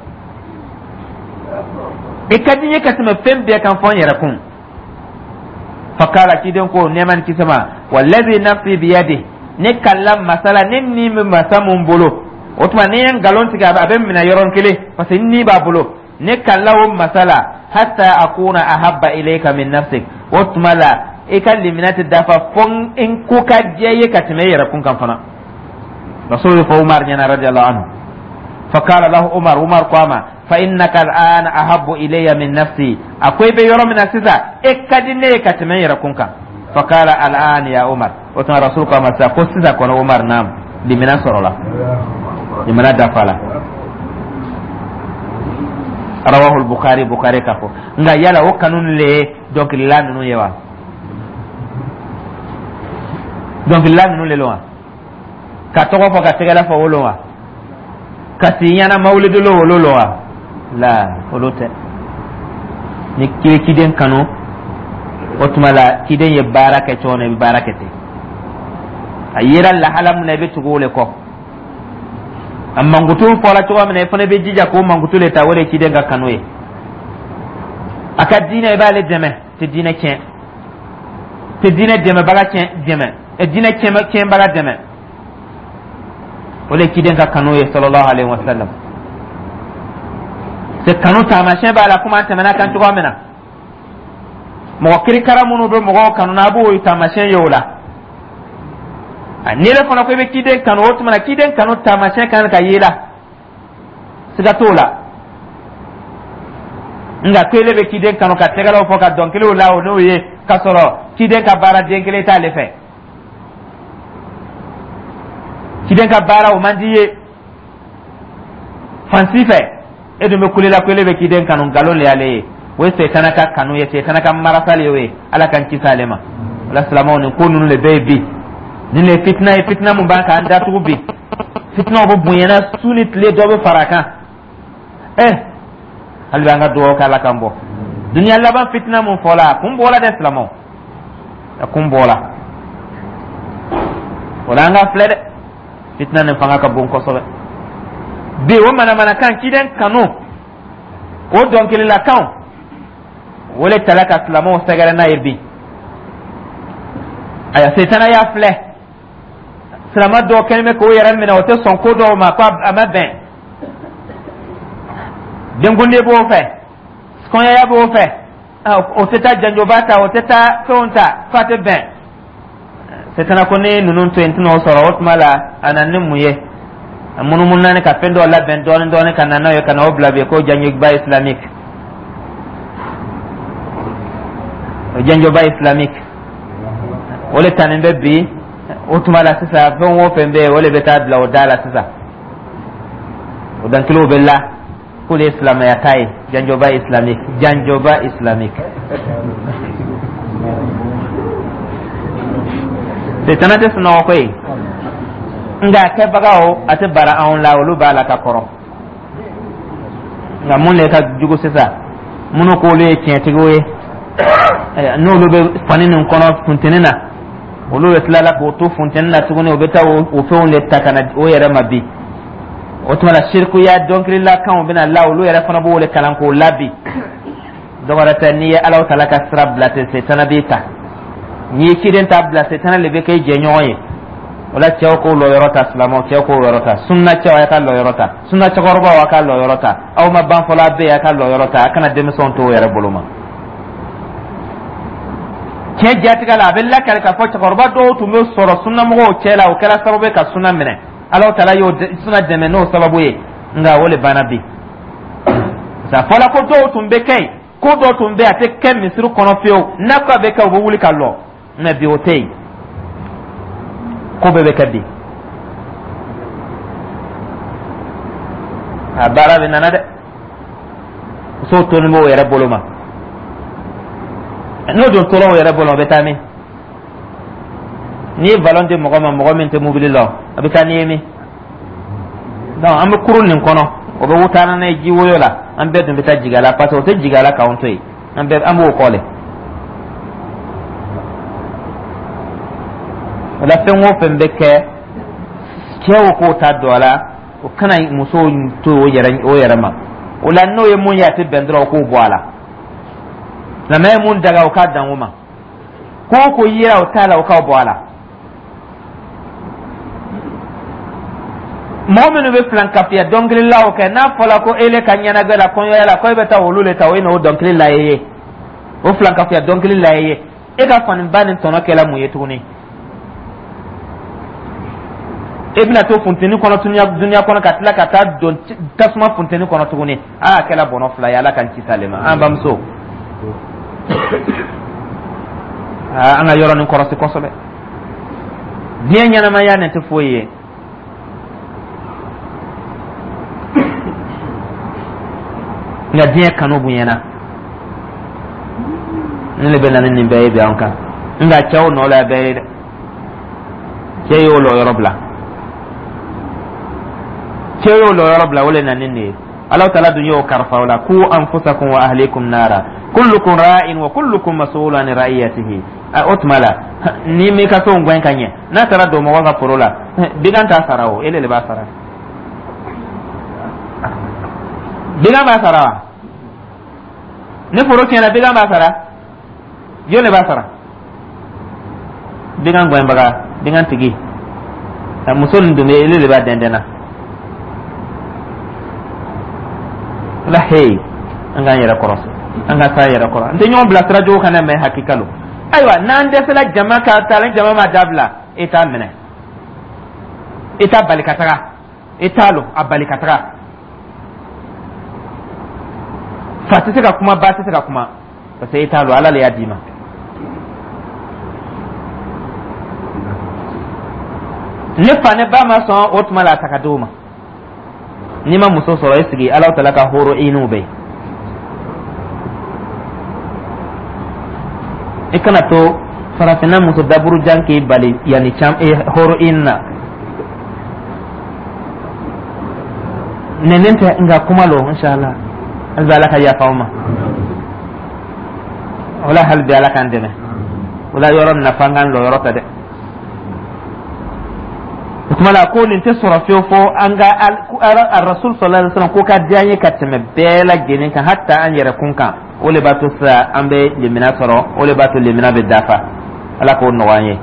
A: i ka di n ye ka tɛmɛ fɛn bɛɛ kan fɔ n yɛrɛ kun. Fakala, ciden ko nɛɛma ni kisi ma, wallazi nafsi biyadi, ne kalla masala ne ni bɛ masa mun bolo. O tuma ni ye nkalon tigɛ, a bɛ minɛ yɔrɔnin kelen, parce que ni b'a bolo. Ne kalila o masa la, hatta akuna ahabba ilayka min nafsik. O tuma la, i ka limaniya tɛ dafa fo n ko ka diya i ye ka tɛmɛ i yɛrɛ kun kan fana. Rasul fɔ Umar ɲɛna, radiyallahu anhu. Fakala lahu Umar, Umar ko a ma: fa innaka al'ana ahabbu ilayya min nafsi. A ko i bɛ yɔrɔ min na sisan, e ka di ne ye ka tɛmɛ n yɛrɛ kun kan. Fakala al'an ya Umar. O tuma Rasul ko a ma sisan ko sisan kɔni, Umar, naam, limaniya sɔrɔla, limaniya dafala. Rawahu Bukhari, Bukhari ka fɔ. Nka yala o kanu le ye dɔnkilila ninnu ye wa? Dɔnkilila ninnu le wa? Ka tɔgɔ fɔ, ka tɛgɛrɛ fɔ, wolo wa? Ka si ɲɛna mawulidolo wolo lo wa? La, olu tɛ. Ni kiri ciden kanu, o tuma la ciden ye baara kɛ cogo min, i bɛ baara kɛ ten. A yera lahala min na, i bɛ tugu o le kɔ. A mankutu fɔra cogo min na, i fana bɛ jija k'o mankutu le ta. O de ye ciden ka kanu ye. A ka diinɛ, i b'ale dɛmɛ, tɛ diinɛ tiɲɛ, tɛ diinɛ dɛmɛbaga tiɲɛ dɛmɛ, diinɛ tiɲɛbaga dɛmɛ. O de ye ciden ka kanu ye, sallallahu alaihi wa sallam. Se kanu taamasiyɛn b'a la, komi an tɛmɛna kan cogoya min na. Mɔgɔ kirikara minnu bɛ mɔgɔw kanu na, a b'o taamasiyɛn ye o la. N'i yɛrɛ fana ko i bɛ ciden kanu, o tuma na ciden kanu taamasiyɛn kan ka y'i la, siga t'o la. Nka ko ele bɛ ciden kanu ka tɛgɛrɛw fɔ, ka dɔnkiliw la o n'o ye, k'a sɔrɔ ciden ka baara den kelen t'ale fɛ, ciden ka baara o man di ye fan si fɛ, e dun bɛ kule la ko ele bɛ ciden kanu, nkalon le y'ale ye. O ye setana ka kanu ye, setana ka marasali y'o ye. Ala k'an kisi ale ma. O la, silamɛw, nin ko ninnu de bɛ yen bi. Nin de ye fitina ye, fitina mun b'an k'an datugu bi. Fitinaw bɛ bonyana su ni tile, dɔ bɛ fara a kan. Hali bi an ka dugawu kɛ, Ala k'an bɔ duniya laban fitina mun fɔla, a kun bɔla dɛ. Silamɛw, a kun bɔla. O la, an ka filɛ dɛ, fitina nin fanga ka bon kosɛbɛ bi. O manamanakan, ciden kanu, o dɔnkililakanw, o le tala ka silamɛw sɛgɛrɛ n'a ye bi. Aya, setana y'a filɛ, silama dɔw kɛlen bɛ k'o yɛrɛ minɛ, o tɛ sɔn ko dɔw ma, ko a ma bɛn. Denkundi b'o fɛ, kɔɲɔya b'o fɛ, o tɛ taa janjoba ta, o tɛ taa fɛnw ta f'a tɛ bɛn. Setana ko ne ninnu to yen, n tɛna o sɔrɔ. O tuma la, a nana ni mun ye? A munumunu naani ka fɛn dɔw labɛn dɔɔni dɔɔni ka na n'a ye, ka na o bila bi ko janjoba islamique. O janjoba islamique, o le tanin bɛ bi. O tuma la sisan, fɛn o fɛn bɛ yen, o le bɛ taa bila o da la sisan. O dankiliw bɛ la k'olu ye silamɛya ta ye, janjoba islamique, janjoba islamique. Setana tɛ sunɔgɔ koyi, nka a kɛbagaw, a tɛ bara anw la, olu b'a la ka kɔrɔ. Nka mun de ka jugu sisan? Minnu k'olu ye tiɲɛtigiw ye, n'olu bɛ fani nin kɔnɔ funteni na, olu bɛ tila la k'o to funteni na tuguni, u bɛ taa o fɛnw de ta ka na o yɛrɛ ma bi. O tuma la, sirikuya dɔnkililakanw bɛna la, olu yɛrɛ fana b'o de kalan k'o la bi. Dɔwɛrɛ tɛ, n'i ye Alahu taala ka sira bila ten, setana b'i ta. N'i ye ciden ta bila, setana le bɛ kɛ i jɛɲɔgɔn ye. O la, cɛw k'o lɔyɔrɔ ta, silamɛw, cɛw k'o yɔrɔ ta, sunna cɛw, a ka lɔyɔrɔ ta, sunna cɛkɔrɔbaw, a ka lɔyɔrɔ ta. Aw ma ban fɔlɔ, a bɛ yen, a ka lɔyɔrɔ ta, a kana denmisɛnw to o yɛrɛ bolo ma. Tiɲɛ jatigɛ la, a bɛ lakali k'a fɔ cɛkɔrɔba dɔw tun bɛ sɔrɔ sunnamɔgɔw cɛ la, o kɛra sababu ye ka sunna minɛ. Alahu taala y'o sunna dɛmɛ n'o sababu ye. Nka o le banna bi. Sa fɔla ko dɔw tun bɛ kɛ yen, ko dɔw tun bɛ yen, a tɛ kɛ misiri kɔnɔ fiyewu, n'a ko a bɛ kɛ, u bɛ wuli ka lɔ. Mɛ bi, o tɛ yen, ko bɛɛ bɛ kɛ bi. A baara bɛ nana dɛ, musow tolen b'o yɛrɛ bolo ma. N'o dun tora o yɛrɛ bolo, o bɛ taa min? N'i ye balon di mɔgɔ ma, mɔgɔ min tɛ mobili la, a bɛ taa n'i ye min? Donc an bɛ kurun nin kɔnɔ, o bɛ taa n'a ye ji woyo la, an bɛɛ dun bɛ taa jigin a la, parce que o tɛ jigin a la k'anw to yen, an bɛɛ an b'o kɔ le. O la, fɛn o fɛn bɛ kɛ, cɛw k'o ta don a la, o kana musow to o yɛrɛ ma. O la, n'o ye mun ye a tɛ bɛn dɔrɔn, o k'o bɔ a la. Silamɛya ye mun daga, o k'a dan o ma. Ko o ko yera o t'a la, o k'o bɔ a la. Mɔgɔ minnu bɛ filankafiya dɔnkililaw kɛ, n'a fɔra ko ele ka ɲɛnajɛ la, kɔɲɔya la, ko e bɛ taa olu le ta, o ye n'o dɔnkili la ye, o filankafiya dɔnkili la ye, e ka faniba nin tɔnɔ kɛla mun ye tuguni? E bɛna to funteni kɔnɔ dunuya kɔnɔ, ka tila ka taa don tasuma funteni kɔnɔ tuguni. Aa, a kɛla bɔnɔ fila ye. Ala k'an kisi ale ma. An bamuso, an ka yɔrɔ nin kɔrɔsi kosɛbɛ. Diɲɛ ɲɛnamaya nin tɛ foyi ye. Nka diɲɛ kanu bonyana, ne le bɛ na ni nin bɛɛ ye bi an kan. Nka cɛw nɔ la bɛɛ ye dɛ. Cɛ y'o lɔyɔrɔ bila, cɛ y'o lɔyɔrɔ bila, o le na ni nin ye. Ala taala dun y'o karifa o la: ku anfusakum wa ahlikum nara, kullukum ra'in wa kullukum mas'ulun an ra'iyatihi. O tuma la, ni m'i ka so gɛn ka ɲɛ, n'a taara don mɔgɔ ka foro la, bigan t'a sara o, ele le b'a sara. Bigan b'a sara wa? Ni foro tiɲɛna, bigan b'a sara? Jɔn de b'a sara? Bigan gɛnbaga, bigan tigi. Muso nin dun bɛ, ele de b'a dɛndɛn na la. Hey, an k'an yɛrɛ kɔrɔsi, an ka s'an yɛrɛ kɔrɔ. An tɛ ɲɔgɔn bila sira jugu kan dɛ, mɛ hakika lo. Ayiwa, n'an dɛsɛla jama ka taa, ni jama ma dabila, e t'a minɛ, e t'a bali ka taga, e t'a lɔ a bali ka taga. Fa tɛ se ka kuma, ba tɛ se ka kuma, parce que e t'a lɔ, Ala le y'a d'i ma. Ni fa ni ba ma sɔn, o tuma la a ta ka d'o ma. N'i ma muso sɔrɔ, e sigi, Ala taala ka horo iniw bɛ yen. I kana to farafinna muso daburujan k'i bali yanni cam horo in na. Nɛnɛ tɛ, nka kuma lo. Inshallah, hali bi Ala ka yafa aw ma o la. Hali bi Ala k'an dɛmɛ o la. Yɔrɔ nafa an k'an lɔyɔrɔ ta dɛ. O tuma la, ko nin tɛ sɔrɔ fiyewu fo an ka Rasul sallallahu alaihi wasallam ko ka diya an ye ka tɛmɛ bɛɛ lajɛlen kan, hatta an yɛrɛ kun kan. O le b'a to sisan an bɛ limina sɔrɔ, o le b'a to limina bɛ dafa. Ala k'o nɔgɔya an ye.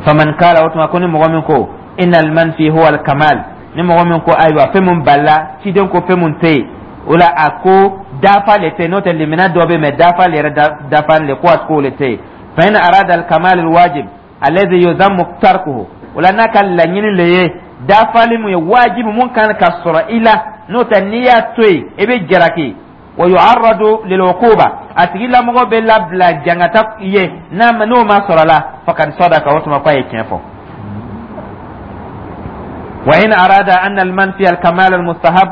A: Faman kala, o tuma ko ni mɔgɔ min ko innal manfi huwa al kamal, ni mɔgɔ min ko ayiwa, fɛn mun balila ciden ko fɛn mun tɛ yen, o la a ko dafa le tɛ yen, n'o tɛ limina dɔ bɛ yen, mɛ dafa le yɛrɛ dafa le ko a ko le tɛ yen. Fa in arada al kamal al wajib alladhi yuzammu tarkuhu, o la n'a ka laɲini le ye dafali mun ye wajibi, mun kan ka sɔrɔ i la, n'o tɛ n'i y'a to yen, i bɛ jalaki, wa yu'arradu lil uquba, a tigilamɔgɔ bɛ labila jangata ye n'a ma n'o ma sɔrɔ la, faqad sadaqa, o tuma k'a ye tiɲɛ fɔ. Wa in arada anna al manfi al kamal al mustahab,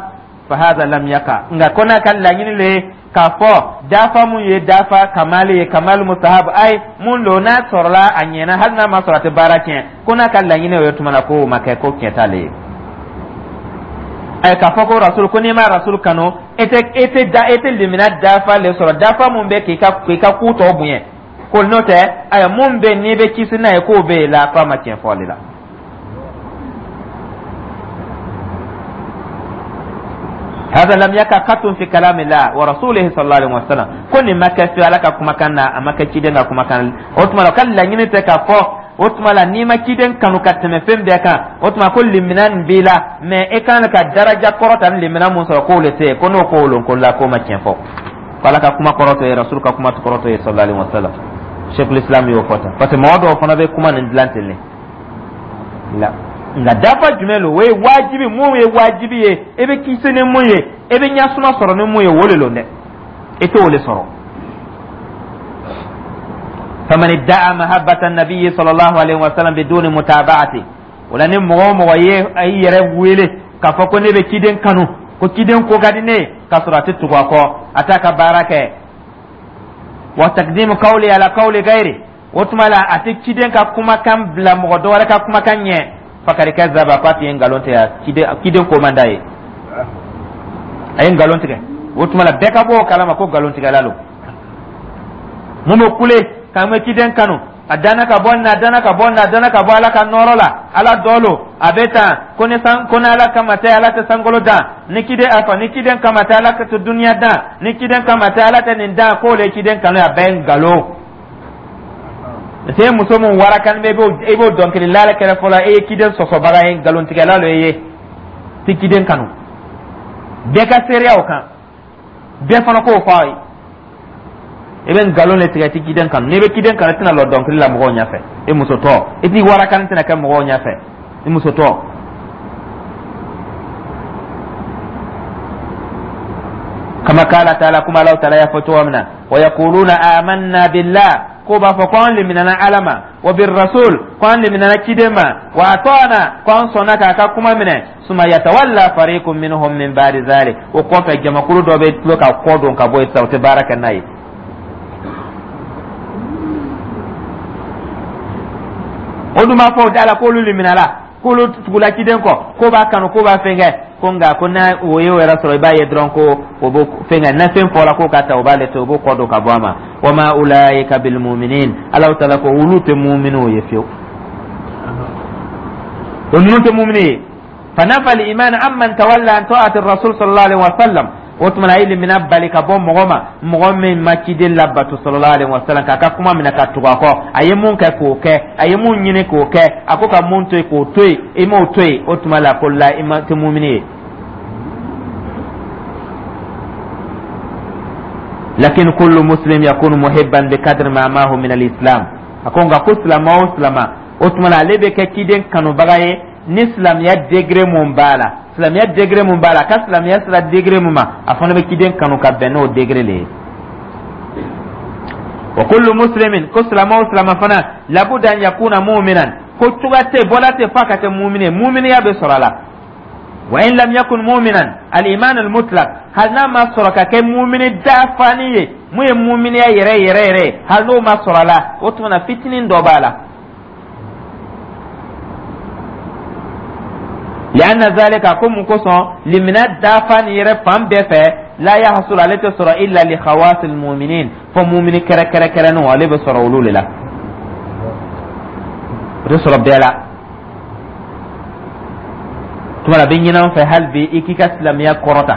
A: fa hadha lam yaqa. Nka ko n'a ka laɲini le ye k'a fɔ dafa mun ye dafa kamali ye, kamal mustahab, ay mun lo n'a sɔrɔla a ɲɛna, hali n'a ma sɔrɔ a tɛ baara tiɲɛ, ko n'a ka laɲini o ye, tuma na k'o ma kɛ, ko tiɲɛ t'ale ye. Ayi, k'a fɔ ko Rasul ko n'i ma Rasul kanu, e tɛ da, e tɛ limina dafa le sɔrɔ, dafa mun bɛ k'i ka ku tɔ bonya, ko n'o tɛ, ayiwa, mun bɛ n'i bɛ kisi n'a ye, k'o bɛ yen la, k'a ma tiɲɛ fɔ ale la. هذا لم يكن قط في كلام الله ورسوله صلى الله عليه وسلم. Ko nin ma kɛ fiyewu Ala ka kumakan na, a ma kɛ ciden ka kumakan. O tuma la, ka laɲini tɛ k'a fɔ o tuma la n'i ma ciden kanu ka tɛmɛ fɛn bɛɛ kan, o tuma ko limina nin b'i la, mɛ e kan ka daraja kɔrɔta ni limina mun sɔrɔ, k'o le tɛ yen. Ko n'o ko lon ko la, k'o ma tiɲɛ fɔ, ko Ala ka kuma kɔrɔ t'o ye, Rasul ka kuma kɔrɔ t'o ye sallallahu alaihi wasallam. Cheikhul Islam y'o fɔ tan, parce que mɔgɔ dɔw fana bɛ kuma nin dilan ten ne la. Nka dafa jumɛn lo? O ye wajibi mun ye, wajibi ye, e bɛ kisi ni mun ye, e bɛ ɲasuma sɔrɔ ni mun ye, o le lon dɛ, e t'o le sɔrɔ. Faman idda'a mahabbata nabiyyi sallallahu alaihi wasallam biduni mutaba'ati, o la ni mɔgɔ o mɔgɔ ye a y'i yɛrɛ wele k'a fɔ ko ne bɛ ciden kanu, ko ciden ko ka di ne ye, k'a sɔrɔ a tɛ tugu a kɔ, a t'a ka baara kɛ, wa taqdimu qawli ala qawli ghairi, o tuma la a tɛ ciden ka kumakan bila mɔgɔ dɔ wɛrɛ ka kumakan ɲɛ, fakari kazaba, k'a tun ye nkalon tigɛ, ciden ko man d'a ye, a ye nkalon tigɛ. O tuma la bɛɛ ka bɔ o kalama ko nkalon tigɛla lo. Mun bɛ kule k'an bɛ ciden kanu, a danna ka bɔ nin na, a danna ka bɔ nin na, a danna ka bɔ Ala ka nɔɔrɔ la, Ala dɔ lo, a bɛ tan, ko ni san, ko ni Ala kama tɛ, Ala tɛ sankolo dan, ni ciden a fɔ ni ciden kama tɛ, Ala tɛ duniya dan, ni ciden kama tɛ, Ala tɛ nin dan, k'o le ye ciden kanu ye, a bɛɛ ye nkalon. Parce que muso mun warakan bɛ, i b'o dɔnkilila kɛrɛ fɔlɔ, e ye ciden sɔsɔbaga ye, nkalontigɛla lo e ye. Tɛ ciden kanu. Bɛɛ ka seereya o kan, bɛɛ fana k'o fɔ a ye. I bɛ nkalon de tigɛ, i tɛ ciden kanu. N'i bɛ ciden kanu, i tɛna lɔ dɔnkili la mɔgɔw ɲɛfɛ i musotɔ. I t'i warakani tɛna kɛ mɔgɔw ɲɛfɛ i musotɔ. Kama kala taala, kuma Alahu taala y'a fɔ cogo min na: wa yaquluna amanna billah, ko b'a fɔ ko an liminana Ala ma, wa birrasul, ko an liminana ciden ma, wa ata'na, ko an sɔnna k'a ka kuma minɛ. Suma yatawalla fariqun minhum min ba'di zalik, o kɔfɛ jamakulu dɔ bɛ tulo ka kɔ don ka bɔ yen sisan, o tɛ baara kɛ n'a ye. O dun b'a fɔ o da la k'olu liminala, k'olu tugula ciden kɔ, k'o b'a kanu, k'o b'a fɛn kɛ, ko nka ko n'a o ye o yɛrɛ sɔrɔ, i b'a ye dɔrɔn ko o b'o fɛn kɛ. Na fɛn fɔra k'o ka ta, o b'ale to, o b'o kɔ don ka bɔ a ma. Wa ma ulaika bil muminin, Alahu taala ko olu tɛ muminiw ye fiyewu, o ninnu tɛ mumini ye. Fanafa al iman amman tawalla an ta'ati rasul sallallahu alaihi wa sallam. O tuma na, a ye limina bali ka bɔ mɔgɔ ma, mɔgɔ min ma ciden labato sallallahu alaihi wa sallam, k'a ka kuma minɛ ka tugu a kɔ, a ye mun kɛ k'o kɛ, a ye mun ɲini k'o kɛ, a ko ka mun to yen k'o to yen, i m'o to yen, o tuma la ko la i ma tɛ mumini ye. Lakin kullu muslim yakunu muhibban bi kadri ma mahu min al-islam. A ko nka ko silama o silama, o tuma la ale bɛ kɛ ciden kanubaga ye ni silamɛya degré mun b'a la, silamɛya degré mun b'a la, a ka silamɛya sera degré mun ma, a fana bɛ ciden kanu ka bɛn n'o degré le ye. Wa kullu muslimin, ko silama o silama fana, labuda an yakuna mu'minan, ko cogoya tɛ, bɔla tɛ f'a ka kɛ mumini ye, muminiya bɛ sɔrɔ a la. Wa in lam yakun mu'minan al-iman al-mutlaq, hali n'a ma sɔrɔ ka kɛ mumini dafani ye, mun ye muminiya yɛrɛ yɛrɛ yɛrɛ ye, hali n'o ma sɔrɔ a la, o tuma na fitinin dɔ b'a la. Lianna zalika, ko mun kosɔn limina dafa nin yɛrɛ fan bɛɛ fɛ, la yahsul, ale tɛ sɔrɔ, illa li khawasil muminin, fo mumini kɛrɛkɛrɛkɛrɛninw, ale bɛ sɔrɔ olu de la, o tɛ sɔrɔ bɛɛ la. Tuma la a bɛ ɲini an fɛ hali bi i k'i ka silamɛya kɔrɔta.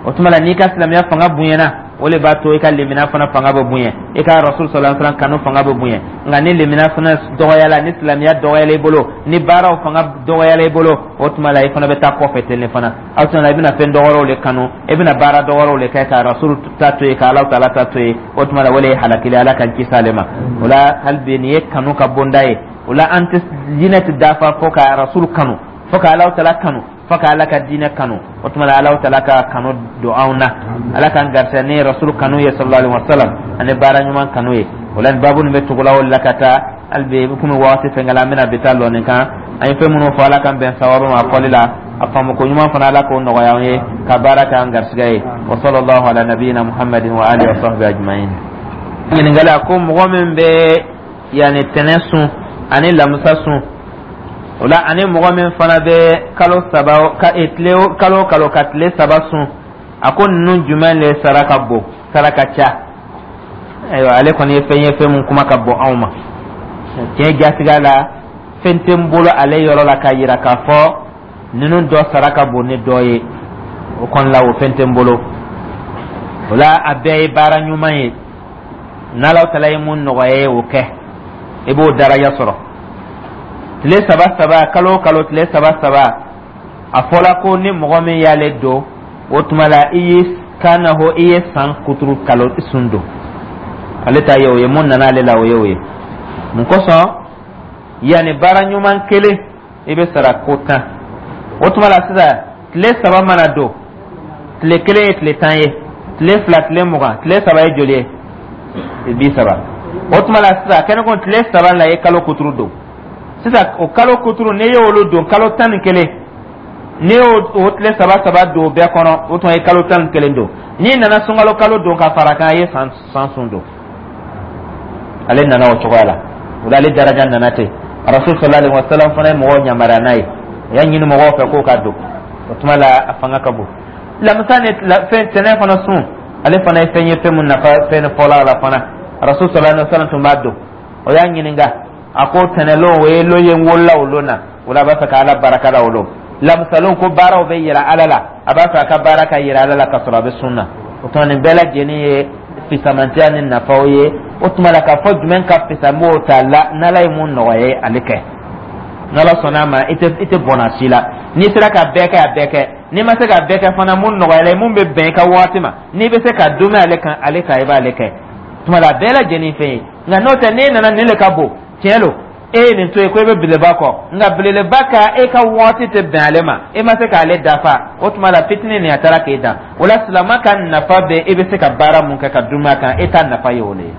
A: O tuma la n'i ka silamɛya fanga bonyana, o le b'a to i ka limina fana fanga bɛ bonya, i ka rasul sallallahu alaihi wasallam kanu fanga bɛ bonya. Nka ni limina fana dɔgɔyala, ni silamɛya dɔgɔyala i bolo, ni baaraw fanga dɔgɔyala i bolo, o tuma la i fana bɛ taa kɔfɛ ten de fana. O tuma la i bɛna fɛn dɔgɔrɔw le kanu, i bɛna baara dɔgɔrɔw le kɛ ka rasul ta to yen, ka Alahu taala ta to yen. O tuma la o le ye halakili. Ala k'an kisi ale ma. O la hali bi nin ye kanu ka bonda ye. O la an tɛ diinɛ tɛ dafa fo ka rasul kanu, fo ka Alahu taala kanu, fo ka Ala ka diinɛ kanu. O tuma la Alahu taala ka kanu don anw na, Ala k'an garisɛgɛ ni rasul kanu ye sallallahu alaihi wasallam, ani baara ɲuman kanu ye. O la nin baabu nin bɛ tugula o la ka taa hali bi komi waati fɛnkɛla, an bɛna bi ta lɔ nin kan. An ye fɛn minnu fɔ, Ala k'an bɛn sababu ma a fɔli la, a faamu ko ɲuman fana, Ala k'o nɔgɔya an ye ka baara k'an garisɛgɛ ye. Wa sallallahu ala nabiyina Muhammadin wa alihi wa sahbihi ajma'in. Ɲininkali: a ko mɔgɔ min bɛ yanni tɛnɛ sun ani lamusa sun, o la ani mɔgɔ min fana bɛ kalo saba ka e, tile kalo kalo ka tile 3 sun, a ko ninnu jumɛn le sara ka bon, sara ka ca? Ayiwa, ale kɔni ye fɛn ye, fɛn mun kuma ka bon anw ma. Tiɲɛ jatigiya la, fɛn tɛ n bolo ale yɔrɔ la k'a yira k'a fɔ ninnu dɔ sara ka bon ni dɔ ye. O kɔni la, o fɛn tɛ n bolo. O la a bɛɛ ye baara ɲuman ye. N'Ala taala ye mun nɔgɔya ye, o kɛ, i b'o daraja sɔrɔ. Tile saba saba, kalo o kalo tile saba saba, a fɔla ko ni mɔgɔ min y'ale don, o tuma la i ye kana ho i ye san kuturu kalo sun don. Ale ta ye o ye, mun nana ale la, o ye o ye. Mun kosɔn? Yanni baara ɲuman kelen, i bɛ sara ko 10. O tuma la sisan tile 3 mana don, tile 1 ye tile 10 ye, tile 2 tile 20, tile 3 ye joli ye? 30. O tuma la sisan kɛnɛ ko tile 3 la i ye kalo kuturu don. Sisan o kalo kuturu, n'i y'olu don kalo 11, n'i y'o o tile saba saba don o bɛɛ kɔnɔ, o tuma i ye kalo 11 don. N'i nana sunkalo kalo don ka fara kan, i ye san sun don. Ale nana o cogoya la. O la ale daraja nana ten. Rasul sallallahu alaihi wasallam fana ye mɔgɔw yamaruya n'a ye, a y'a ɲini mɔgɔw fɛ k'o ka don. O tuma la a fanga ka bon. Lamisa ni fɛn tɛnɛ fana sun, ale fana ye fɛn ye, fɛn mun nafa fɛn fɔlɔ a la fana. Rasul sallallahu alaihi wasallam tun b'a don. O y'a ɲininka, a ko tɛnɛlon, o ye lon ye, n wolola o lon na, o la a b'a fɛ ka Ala baraka la o lon. Lamisalon ko baaraw bɛ yira Ala la, a b'a fɛ a ka baara ka yira Ala la ka sɔrɔ a bɛ sun na. O tuma nin bɛɛ lajɛlen ye fisamantiya ni nafaw ye. O tuma la k'a fɔ jumɛn ka fisa, n b'o ta la. N'Ala ye mun nɔgɔya ye, ale kɛ. N'Ala sɔnna a ma, i tɛ bɔnna si la. N'i sera ka bɛɛ kɛ, a bɛɛ kɛ. N'i ma se ka bɛɛ kɛ fana, mun nɔgɔyala ye, mun bɛ bɛn i ka waati ma, n'i bɛ se ka dumɛ ale kan, ale kan, i b'ale kɛ. Tuma la, a bɛɛ lajɛlen fɛn ye. Nka n'o tɛ, n'e nana nin le ka bon, tiɲɛ lo, e ye nin to yen ko e bɛ belebeleba kɔ, nka belebeleba ka e ka waati tɛ bɛn ale ma, e ma se k'ale dafa, o tuma la fitinin nin a taara k'e dan. O la, silama ka nafa bɛ e bɛ se ka baara mun kɛ ka dumɛ a kan, e ta nafa ye o le ye.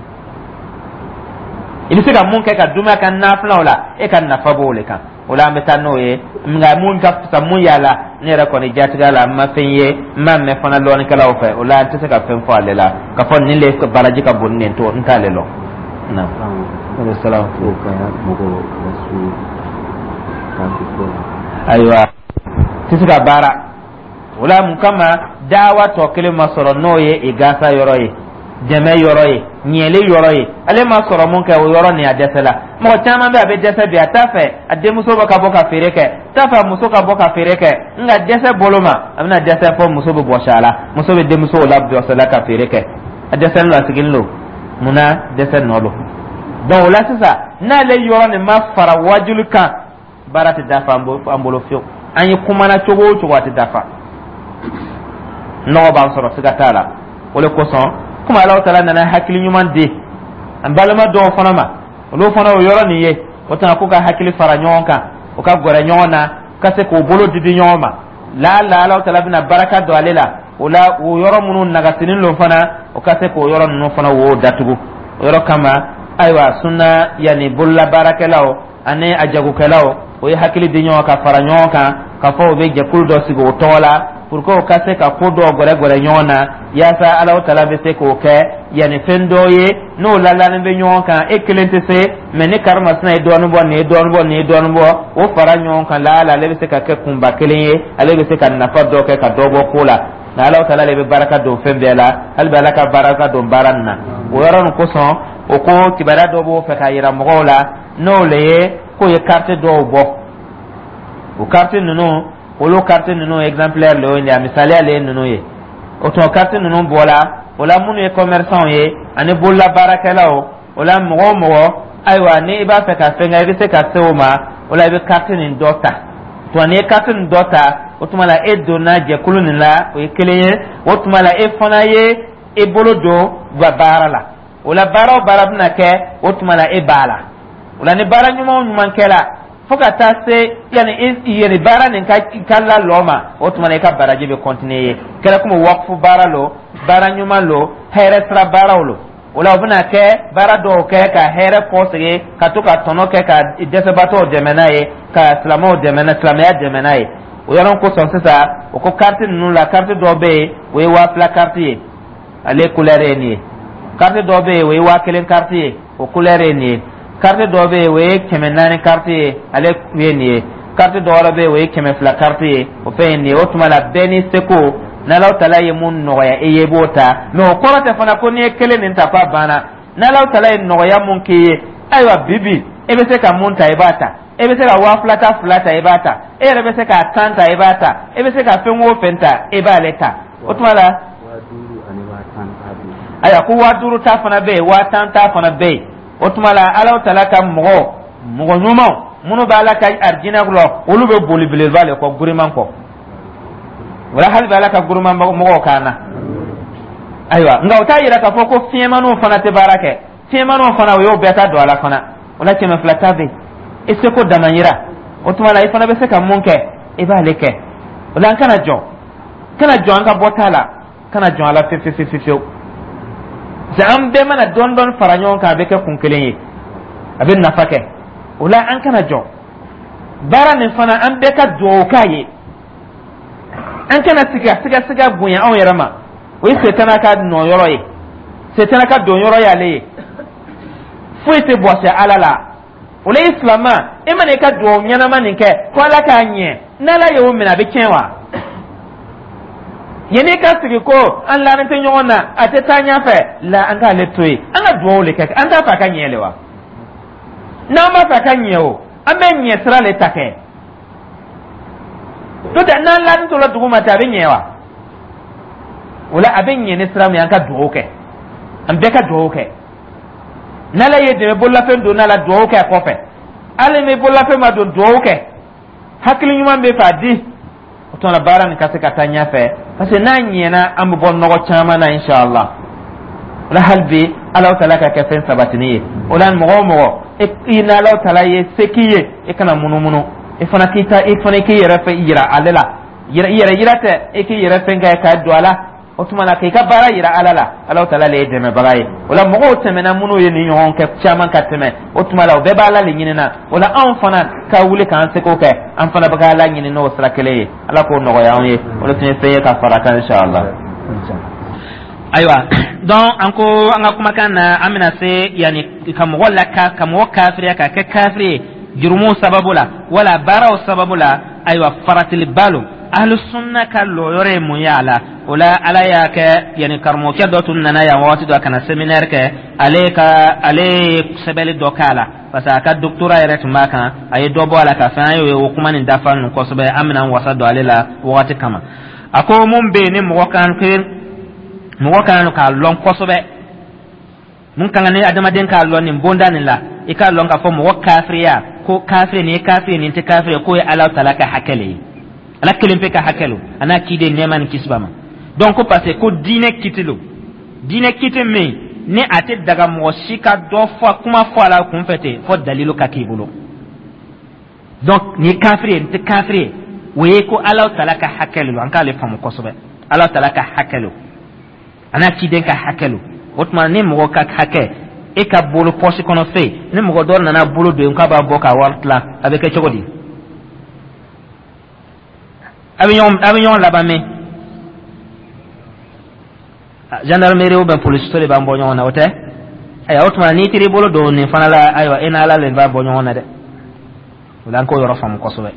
A: I bɛ se ka mun kɛ ka dumɛ a kan nafilaw la, e ka nafa b'o le kan. O la, an bɛ taa n'o ye. Nka mun ka fisa mun y'a la, ne yɛrɛ kɔni jatigɛ la, n ma fɛn ye, n m'a mɛn fana lɔnnikɛlaw fɛ. O la, n tɛ se ka fɛn fɔ ale la k'a fɔ nin le baraji ka bon ni nin to, n t'ale lɔn. Naam. Salaam. Ayiwa, tɛ se ka baara o la. Mun kama dawa tɔ kelen ma sɔrɔ, n'o ye igasa yɔrɔ ye, dɛmɛ yɔrɔ ye, ɲɛli yɔrɔ ye, ale ma sɔrɔ mun kɛ, o yɔrɔ nin a dɛsɛ la. Mɔgɔ caman bɛ, a bɛ dɛsɛ bi, a t'a fɛ a denmuso bɛ ka bɔ ka feere kɛ, t'a fɛ a muso ka bɔ ka feere kɛ, nka dɛsɛ bolo ma, a bɛna dɛsɛ fɔ muso bɛ bɔsi a la, muso bɛ denmuso la bɔsi a la ka feere kɛ. A dɛsɛlen don, a sigilen don. Munna? Dɛsɛ nɔ don. Donc o la sisan, n'ale yɔrɔ nin ma fara wajuli kan, baara tɛ dafa an bolo fiyewu. An ye kumana cogo o cogo, a tɛ dafa. Nɔgɔ b'an sɔrɔ, siga t'a la. O de kosɔn, komi Alahu taala nana hakili ɲuman di an balima dɔw fana ma, olu fana o yɔrɔ nin ye, o tuma k'u ka hakili fara ɲɔgɔn kan, u ka gɛrɛ ɲɔgɔn na, ka se k'u bolo di di ɲɔgɔn ma. Laala Alahu taala bɛna baraka don ale la. O la, o yɔrɔ minnu nagasinin don fana, o ka se k'o yɔrɔ ninnu fana wo datugu. O yɔrɔ kama, ayiwa, sunna yanni bololabaarakɛlaw ani a jagokɛlaw, o ye hakili di ɲɔgɔn ka fara ɲɔgɔn kan k'a fɔ u bɛ jɛkulu dɔ sigi o tɔgɔ la pour que o ka se ka ko dɔw gɛrɛgɛrɛ ɲɔgɔn na, yaasa Alahu taala bɛ se k'o kɛ yanni fɛn dɔw ye n'o lalani bɛ ɲɔgɔn kan. E kelen tɛ se, mɛ ni karimasina ye dɔɔnin bɔ, nin ye dɔɔnin bɔ, nin ye dɔɔnin bɔ, o fara ɲɔgɔn kan, laala ale bɛ se ka kɛ kunba kelen ye, ale bɛ se ka nafa dɔ kɛ ka dɔ bɔ ko la. Nka Alahu taala de bɛ baraka don fɛn bɛɛ la. Hali bi, Ala ka baraka don baara nin na. O yɔrɔ nin kosɔn, o ko kibaruya dɔ b'o fɛ k'a yira mɔgɔw la, n'o le ye k'o ye carte dɔw bɔ. O carte ninnu, olu carte ninnu exemplaire le ye, a misaliya le ye ninnu ye. O tuma carte ninnu bɔla o la, minnu ye commerçant ye ani bololabaarakɛlaw, o la mɔgɔ o mɔgɔ, ayiwa, ni i b'a fɛ ka fɛn kɛ, i bɛ se ka se o ma. O la, i bɛ carte nin dɔ ta. Tuma n'i ye carte nin dɔ ta, o tuma la e donna jɛkulu nin la, o ye kelen ye. O tuma la, e fana ye e bolo don baara la. O la, baara o baara bɛna kɛ, o tuma la e b'a la. O la, ni baara ɲuman o ɲuman kɛla fo ka taa se yanni yanni baara nin ka lalɔ ma, o tuma la i ka baraji bɛ continuer ye. Kɛra komi wakufu baara lo, baara ɲuman lo, hɛrɛ sira baaraw lo. O la, o bɛna kɛ baara dɔw kɛ ka hɛrɛ kɔsegin, ka to ka tɔnɔ kɛ ka dɛsɛbaatɔw dɛmɛ n'a ye, ka silamɛw dɛmɛ n'a, silamɛya dɛmɛ n'a ye. O yɔrɔ kosɔn sisan, o ko carte ninnu la, carte dɔw bɛ yen, o ye 2000 carte ye, ale couleur ye nin ye. Carte dɔw bɛ yen, o ye 1000 carte ye, o couleur ye nin ye. Carte dɔw bɛ yen, o ye 400 carte ye, ale ye nin ye. Carte dɔ wɛrɛ bɛ yen, o ye 200 carte ye, o fɛn ye nin ye. O tuma la, bɛɛ n'i seko, n'Alahu taala ye mun nɔgɔya e ye, i b'o ta. Mɛ o kɔrɔ tɛ fana ko n'i ye kelen nin ta k'a banna. N'Alahu taala ye nɔgɔya mun k'i ye, ayiwa, bi bi e bɛ se ka mun ta, i b'a ta. E bɛ se ka 2000 ta fila ta, i b'a ta. E yɛrɛ bɛ se ka 10 ta, i b'a ta. E bɛ se ka fɛn o fɛn ta, e b'ale ta. O tuma la, ayiwa, ko 5000 ta fana bɛ yen, 10,000 ta fana bɛ yen. O tuma la, Alahu taala ka mɔgɔ mɔgɔ ɲumanw minnu bɛ Ala ka arijinɛ kɔnɔ, olu bɛ boli belebeleba le kɔ, giriman kɔ. Wala hali bɛ Ala ka giriman mɔgɔw kan na. Ayiwa, nka o t'a yira k'a fɔ ko fiɲɛmaniw fana tɛ baara kɛ. Fiɲɛmaniw fana, o y'o bɛɛ ta don a la fana. O la, 200 ta bɛ yen, i seko dama yira. O tuma la, i fana bɛ se ka mun kɛ, i b'ale kɛ. O la, an kana jɔ, kana jɔ an ka bɔta la, kana jɔn a la fewu fewu fewu. Parce que an bɛɛ mana dɔɔni dɔɔni fara ɲɔgɔn kan, a bɛ kɛ kun kelen ye, a bɛ nafa kɛ. O la, an kana jɔ baara nin fana, an bɛɛ ka dugawu k'a ye. An kana siga siga siga bonya anw yɛrɛ ma. O ye setana ka nɔ yɔrɔ ye, setana ka don yɔrɔ y'ale ye. Foyi tɛ bɔsɛ Ala la. O la, i silama, e mana i ka dugawu ɲɛnama nin kɛ ko Ala k'a ɲɛ, n'Ala y'o minɛ, a bɛ tiɲɛ wa? Yanni ka sigi ko an lanin tɛ ɲɔgɔn na, a tɛ taa ɲɛfɛ la, an k'ale to yen, an ka dugawu de kɛ. An t'a fɛ a ka ɲɛ le wa? N'an b'a fɛ a ka ɲɛ o, an bɛ ɲɛ sira le ta kɛ. N'o tɛ, n'an lanin tora dugu ma ten, a bɛ ɲɛ wa? O la, a bɛ ɲɛ ni sira min ye, an ka dugawu kɛ, an bɛɛ ka dugawu kɛ. N'Ala ye dɛmɛ, bololafɛn don n'a la, dugawu kɛ a kɔfɛ. Hali ni bololafɛn ma don, dugawu kɛ. Hakili ɲuman bɛ fɛ a di. O tuma na, baara nin ka se ka taa ɲɛfɛ, parce que n'a ɲɛna, an bɛ bɔ nɔgɔ caman na, inshallah. O la, hali bi, Alahu Taala ka kɛ fɛn sabatini ye. O la, mɔgɔ o mɔgɔ i n'Alahu Taala ye se k'i ye, i kana munumunu. I fana k'i ta, i fana k'i yɛrɛ fɛ yira ale la. I yɛrɛ yira tɛ, i k'i yɛrɛ fɛn kɛ k'a don a la. O tuma na, k'i ka baara yira Ala la. Alahu Taala le ye dɛmɛbaga ye. O la, mɔgɔw tɛmɛna minnu ye nin ɲɔgɔn kɛ caman ka tɛmɛ, o tuma la, o bɛɛ b'Ala le ɲinina. O la, anw fana ka wuli k'an seko kɛ, an fana bɛ ka Ala ɲini n'o sira kelen ye. Ala k'o nɔgɔya anw ye. O de tun ye fɛn ye ka fara kan, inshallah. Ayiwa, donc an ko an ka kumakan na, an bɛna se yanni ka mɔgɔ la ka mɔgɔ kafiriya, ka kɛ kafiri ye jurumu sababu la wala baaraw sababu la. Ayiwa, faratiliba lo. Ahlu sunna ka lɔyɔrɔ ye mun ye a la? O la, Ala y'a kɛ, yanni karamɔgɔkɛ dɔ tun nana yan wagati dɔ ka na séminaire kɛ, ale ka ale ye sɛbɛnni dɔ k'a la, parce que a ka doctorat yɛrɛ tun b'a kan. A ye dɔ bɔ a la ka fɛn, an y'o o kuma nin dafa ninnu kosɛbɛ. An bɛna an wasa don ale la wagati kama. A ko mun bɛ yen ni mɔgɔ kan k'a lɔn kosɛbɛ, mun kan ni adamaden k'a lɔn nin bonda nin la, i k'a lɔn k'a fɔ mɔgɔ kafiriya, ko kafiri nin ye kafiri, nin tɛ kafiri, k'o ye Ala Taala ka hakɛ le ye, Ala kelen pe ka hakɛ lo, a n'a ciden, nɛɛma ni kisi b'a ma. Donc ko parce que ko diinɛ kiti lo, diinɛ kiti min ni a tɛ daga mɔgɔ si ka dɔ fɔ, kuma fɔ a la kunfɛ ten, fɔ dalilu ka k'i bolo. Donc nin ye kafiri ye, nin tɛ kafiri ye, o ye ko Ala Taala ka hakɛ lo. An k'ale faamu kosɛbɛ, Ala Taala ka hakɛ lo, a n'a ciden ka hakɛ lo. O tuma, ni mɔgɔ ka hakɛ e ka bolo pɔsi kɔnɔ fɛn, ni mɔgɔ dɔ nana bolo don k'a b'a bɔ ka wari tilan, a bɛ kɛ cogo di? A bɛ ɲɔgɔn laban min, gendarmerie ou bien police de b'an bɔ ɲɔgɔn na, o tɛ? Ayiwa, o tuma, n'i taara i bolo don nin fana la, ayiwa, e n'Ala de b'a bɔ ɲɔgɔn na dɛ. O la, an k'o yɔrɔ faamu kosɛbɛ.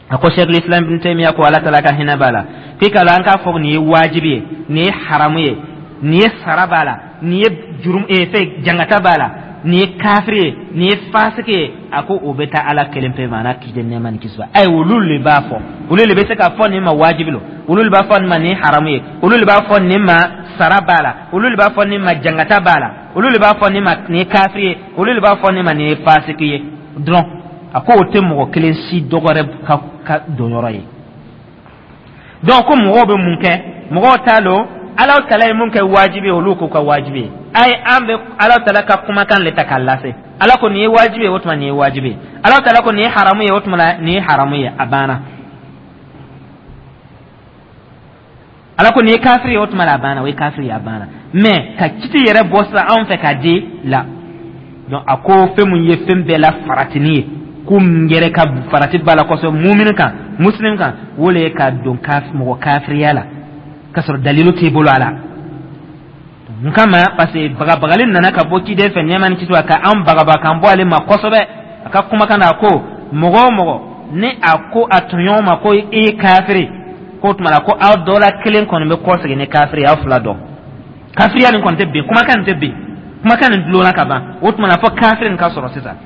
A: A ko Cheikhul Islam Ibn Taymiya ko, Ala Taala ka hinɛ b'a la, k'i ka la an k'a fɔ nin ye wajibi ye, nin ye haramu ye, nin ye sara b'a la, nin ye jurum fɛn jangata b'a la, nin ye kafiri ye, nin ye fasiki ye, a ko o bɛ taa Ala kelen pe ma, a n'a ciden, nɛɛma ni kisi b'a ayi. Olu le b'a fɔ, olu le bɛ se k'a fɔ nin ma wajibi lo, olu le b'a fɔ nin ma nin ye haramu ye, olu le b'a fɔ nin ma sara b'a la, olu le b'a fɔ nin ma jangata b'a la, olu le b'a fɔ nin ma nin ye kafiri ye, olu le b'a fɔ nin ma nin ye fasiki ye dɔrɔn. A ko o tɛ mɔgɔ kelen si dɔgɔrɛ ka donyɔrɔ ye. Donc ko mɔgɔw bɛ mun kɛ? Mɔgɔw t'a lɔn Ala Taala ye mun kɛ wajibi ye, olu k'o ka wajibi ye. Ayi, an bɛ Ala Taala ka kumakan le ta k'a lase. Ala ko nin ye wajibi ye, o tuma nin ye wajibi ye. Ala Taala ko nin ye haramu ye, o tuma nin ye haramu ye, a banna. Ala ko nin ye kafiri ye, o tuma a banna, o ye kafiri ye, a banna. Mais ka kiti yɛrɛ bɔ sisan anw fɛ k'a di la. Donc a ko fɛn mun ye fɛn bɛɛ la faratini ye, ko min yɛrɛ ka farati b'a la kosɛbɛ mumini kan, muslim kan, o le ye ka don mɔgɔ kafiriya la k'a sɔrɔ dalilu t'i bolo a la. Mun kama? Parce que bagabagali nana ka bɔ ciden fɛ, nɛɛma ni kisi, ka an bagabaga k'an bɔ ale ma kosɛbɛ. A ka kumakan na, a ko mɔgɔ o mɔgɔ ni a ko a tɔɲɔgɔn ma ko i ye kafiri, k'o tuma la ko aw dɔ la kelen kɔni bɛ kɔsegin ni kafiri ye, aw fila dɔn kafiriya nin kɔni tɛ bin, kumakan nin tɛ bin, kumakan nin dulonna ka ban. O tuma na, fɔ kafiri nin ka sɔrɔ sisan.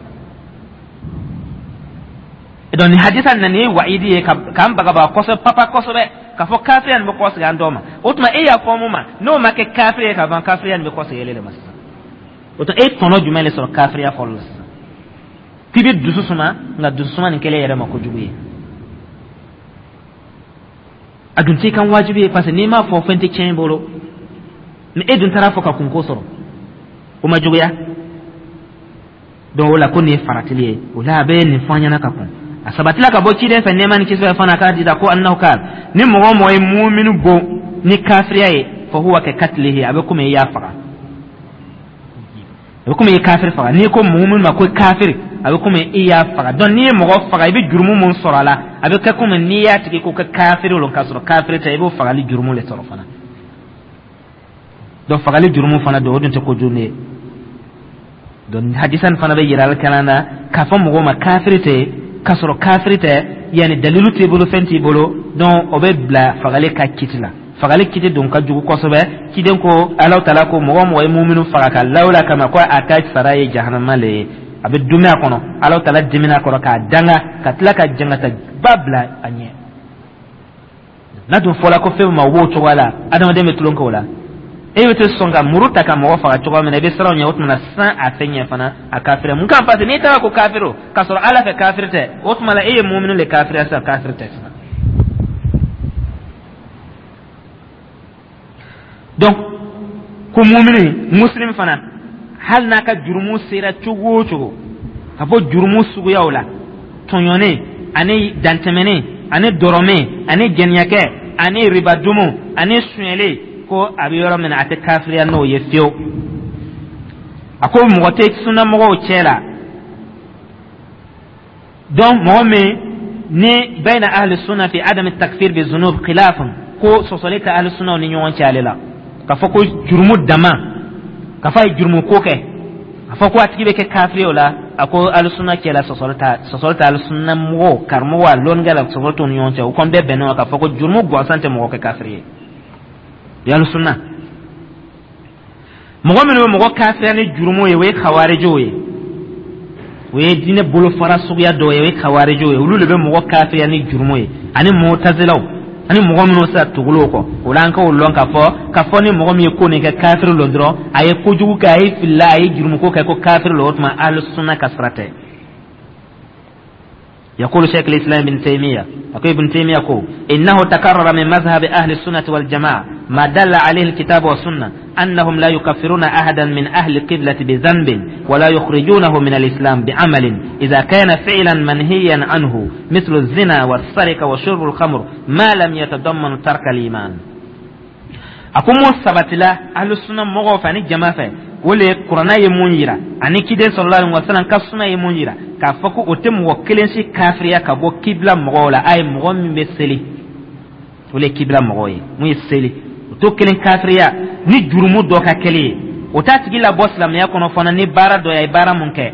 A: Donc nin hadisa nin ye waidi ye k'an bagabaga kosɛbɛ, papa kosɛbɛ, k'a fɔ kafiriya nin bɛ kɔsegin an dɔw ma. O tuma, e y'a fɔ mun ma n'o ma kɛ kafiri ye ka ban, kafiriya nin bɛ kɔsegin ele de ma sisan. O tuma, e tɔnɔ jumɛn de sɔrɔ kafiriya fɔlɔ la sisan k'i bɛ dusu suma? Nka dusu suma nin kɛlen yɛrɛ ma kojugu ye, a dun t'i kan wajibi ye, parce que n'i m'a fɔ, fɛn tɛ tiɲɛ i bolo. Ni e dun taara fɔ ka kunko sɔrɔ, o ma juguya? Donc o la, ko nin ye faratili ye. O la, a bɛ nin fɔ an ɲɛna ka kɔn. A sabatila ka bɔ ciden fɛ, nɛɛma ni kisi bɛ fana, k'a dida ko annahu kal ni mɔgɔ o mɔgɔ ye muminu bon ni kafiriya ye, fa huwa ka katilihi, a bɛ komi i y'a faga, a bɛ komi i ye kafiri faga. N'i ko muminu ma ko kafiri, a bɛ komi i y'a faga. Donc n'i ye mɔgɔ faga, i bɛ jurumu mun sɔrɔ a la, a bɛ kɛ komi n'i y'a tigi ko kɛ kafiri lo k'a sɔrɔ kafiri tɛ, i b'o fagali jurumu le sɔrɔ fana. Donc fagali jurumu fana don, o dun tɛ kojugu ye. Donc hadisa nin fana bɛ yira kalan na k'a fɔ mɔgɔw ma kafiri tɛ k'a sɔrɔ kafiri tɛ, yanni dalilu t'i bolo, fɛn t'i bolo. Donc o bɛ bila fagali ka kiti la. Fagali kiti don ka jugu kosɛbɛ. Ciden ko, Ala Taala ko mɔgɔ o mɔgɔ ye muminu faga ka lawula kama, ko a ka sara ye jahanama le ye, a bɛ dumuni a kɔnɔ, Ala Taala dimina a kɔrɔ k'a danga, ka tila ka jangata ba bila a ɲɛ. N'a dun fɔla ko fɛn ma o b'o cogoya la, adamaden bɛ tulon kɛ o la. E bɛ tɛ sɔn ka muru ta ka mɔgɔ faga cogo min na, i bɛ siran o ɲɛ. O tuma na sisan, a fɛn ɲɛ fana, a kafiriya mun kan? Parce que n'i taara ko kafiri, k'a sɔrɔ Ala fɛ kafiri tɛ, o tuma la e ye muminu le kafiriya sisan. Kafiri tɛ sisan. Donc ko mumini muslim fana, hali n'a ka jurumu sera cogo o cogo, ka bɔ jurumu suguyaw la, tɔɲɔnen ani dantɛmɛnen ani dɔrɔmɛ ani jɛniyakɛ ani ribadumu ani sonyɛlen, ko a bɛ yɔrɔ min na, a tɛ kafiriya n'o ye fiyewu. A ko mɔgɔ tɛ sunnamɔgɔw cɛ la, donc mɔgɔ min ni bayna ahli sunna fi adami takfir bi zunub khilafun, ko sɔsɔli tɛ ahli sunnaw ni ɲɔgɔn cɛ ale la, k'a fɔ ko jurumu dama, k'a fɔ a ye jurumu ko kɛ, a fɔ ko a tigi bɛ kɛ kafiri o la. A ko ahli sunna cɛ la, sɔsɔli tɛ ahli sunna mɔgɔw, karamɔgɔ a lɔnnikɛla, sɔsɔli t'u ni ɲɔgɔn cɛ. U kɔni bɛɛ bɛnnen k'a fɔ ko jurumu gansan tɛ mɔgɔ kɛ kafiri ye. Ahli sunna, mɔgɔ minnu bɛ mɔgɔ kafiriya ni jurumu ye, o ye kawarijiw ye. O ye diinɛ bolofara suguya dɔw ye, o ye kawarijiw ye. Olu de bɛ mɔgɔ kafiriya ni jurumu ye, ani mutazilaw ani mɔgɔ minnu sera tugul'o kɔ. O la, an k'o lɔn k'a fɔ ni mɔgɔ min ye ko nin kɛ, kafiri lɔ dɔrɔn, a ye kojugu kɛ, a ye filila, a ye jurumuko kɛ, ko kafiri lɔ, o tuma ahlu sunna ka sira tɛ. يقول شيخ الإسلام ابن تيمية، أقول ابن تيمية كو إنه تكرر من مذهب أهل السنة والجماعة ما دل عليه الكتاب والسنة، أنهم لا يكفرون أحدا من أهل القبلة بذنب ولا يخرجونه من الإسلام بعمل إذا كان فعلا منهيا عنه، مثل الزنا والسرقة وشرب الخمر، ما لم يتضمن ترك الإيمان. A ko mun sabatila ahlu sunna mɔgɔw fɛ ani jama fɛ, o le ye Kuranna ye mun yira ani kiden sallallahu alaihi wasallam ka sunna ye mun yira, k'a fɔ ko o tɛ mɔgɔ kelen si kafiriya ka bɔ kibila mɔgɔw la. A ye mɔgɔ min bɛ seli, o le ye kibila mɔgɔw ye. Mun ye seli, o t'o kelen kafiriya ni jurumu dɔ ka kɛli ye. O t'a tigi labɔ silamɛya kɔnɔ fana ni baara dɔ ye, a ye baara mun kɛ,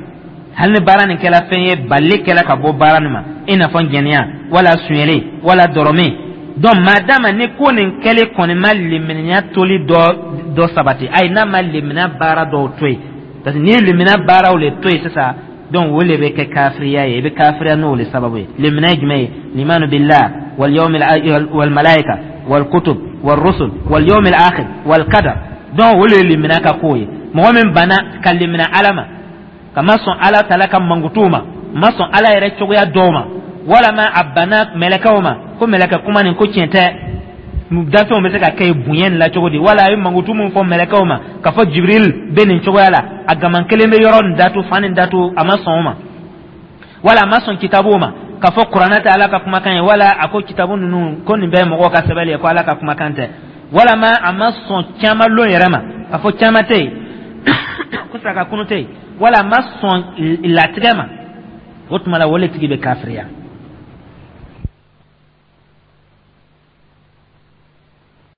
A: hali ni baara nin kɛla fɛn ye, balili kɛla ka bɔ baara nin ma, i n'a fɔ jɛnɛya wala sonyɛli wala dɔrɔmɛ. Donc maadama ni ko nin kɛli kɔni ma limaniya toli dɔ sabati, ayi, n'a ma limaniya baara dɔw to yen, parce que n'i ye limaniya baaraw le to yen sisan, donc o le bɛ kɛ kafiriya ye, i bɛ kafiriya n'o le sababu ye. Limaniya ye jumɛn ye? Limanu billah wal yawmil wal malaika wal kutub wal rusul wal yawmil akhir wal qadar. Donc o le ye limaniya ka ko ye. Mɔgɔ min banna ka limaniya Ala ma, ka ma sɔn Ala taala ka mankutuw ma, ma sɔn Ala yɛrɛ cogoya dɔw ma, walama a banna mɛlɛkɛw ma, ko mɛlɛkɛ kuma nin ko tiɲɛ tɛ, danfɛnw bɛ se ka kɛ bonya nin la cogo di, wala a ye mankutu mun fɔ mɛlɛkɛw ma, k'a fɔ Jibril bɛ nin cogoya la, a gaman kelen bɛ yɔrɔ nin datu, fan nin datu, a ma sɔn o ma, wala a ma sɔn kitabuw ma, k'a fɔ Kuranɛ tɛ Ala ka kumakan ye, wala a ko kitabu ninnu ko nin bɛɛ ye mɔgɔw ka sɛbɛnni ye, ko Ala ka kumakan tɛ, walama a ma sɔn caman lon yɛrɛ ma, k'a fɔ caman tɛ yen, ko saraka kunu tɛ yen, wala a ma sɔn latigɛ ma, o tuma la o le tigi bɛ kafiriya.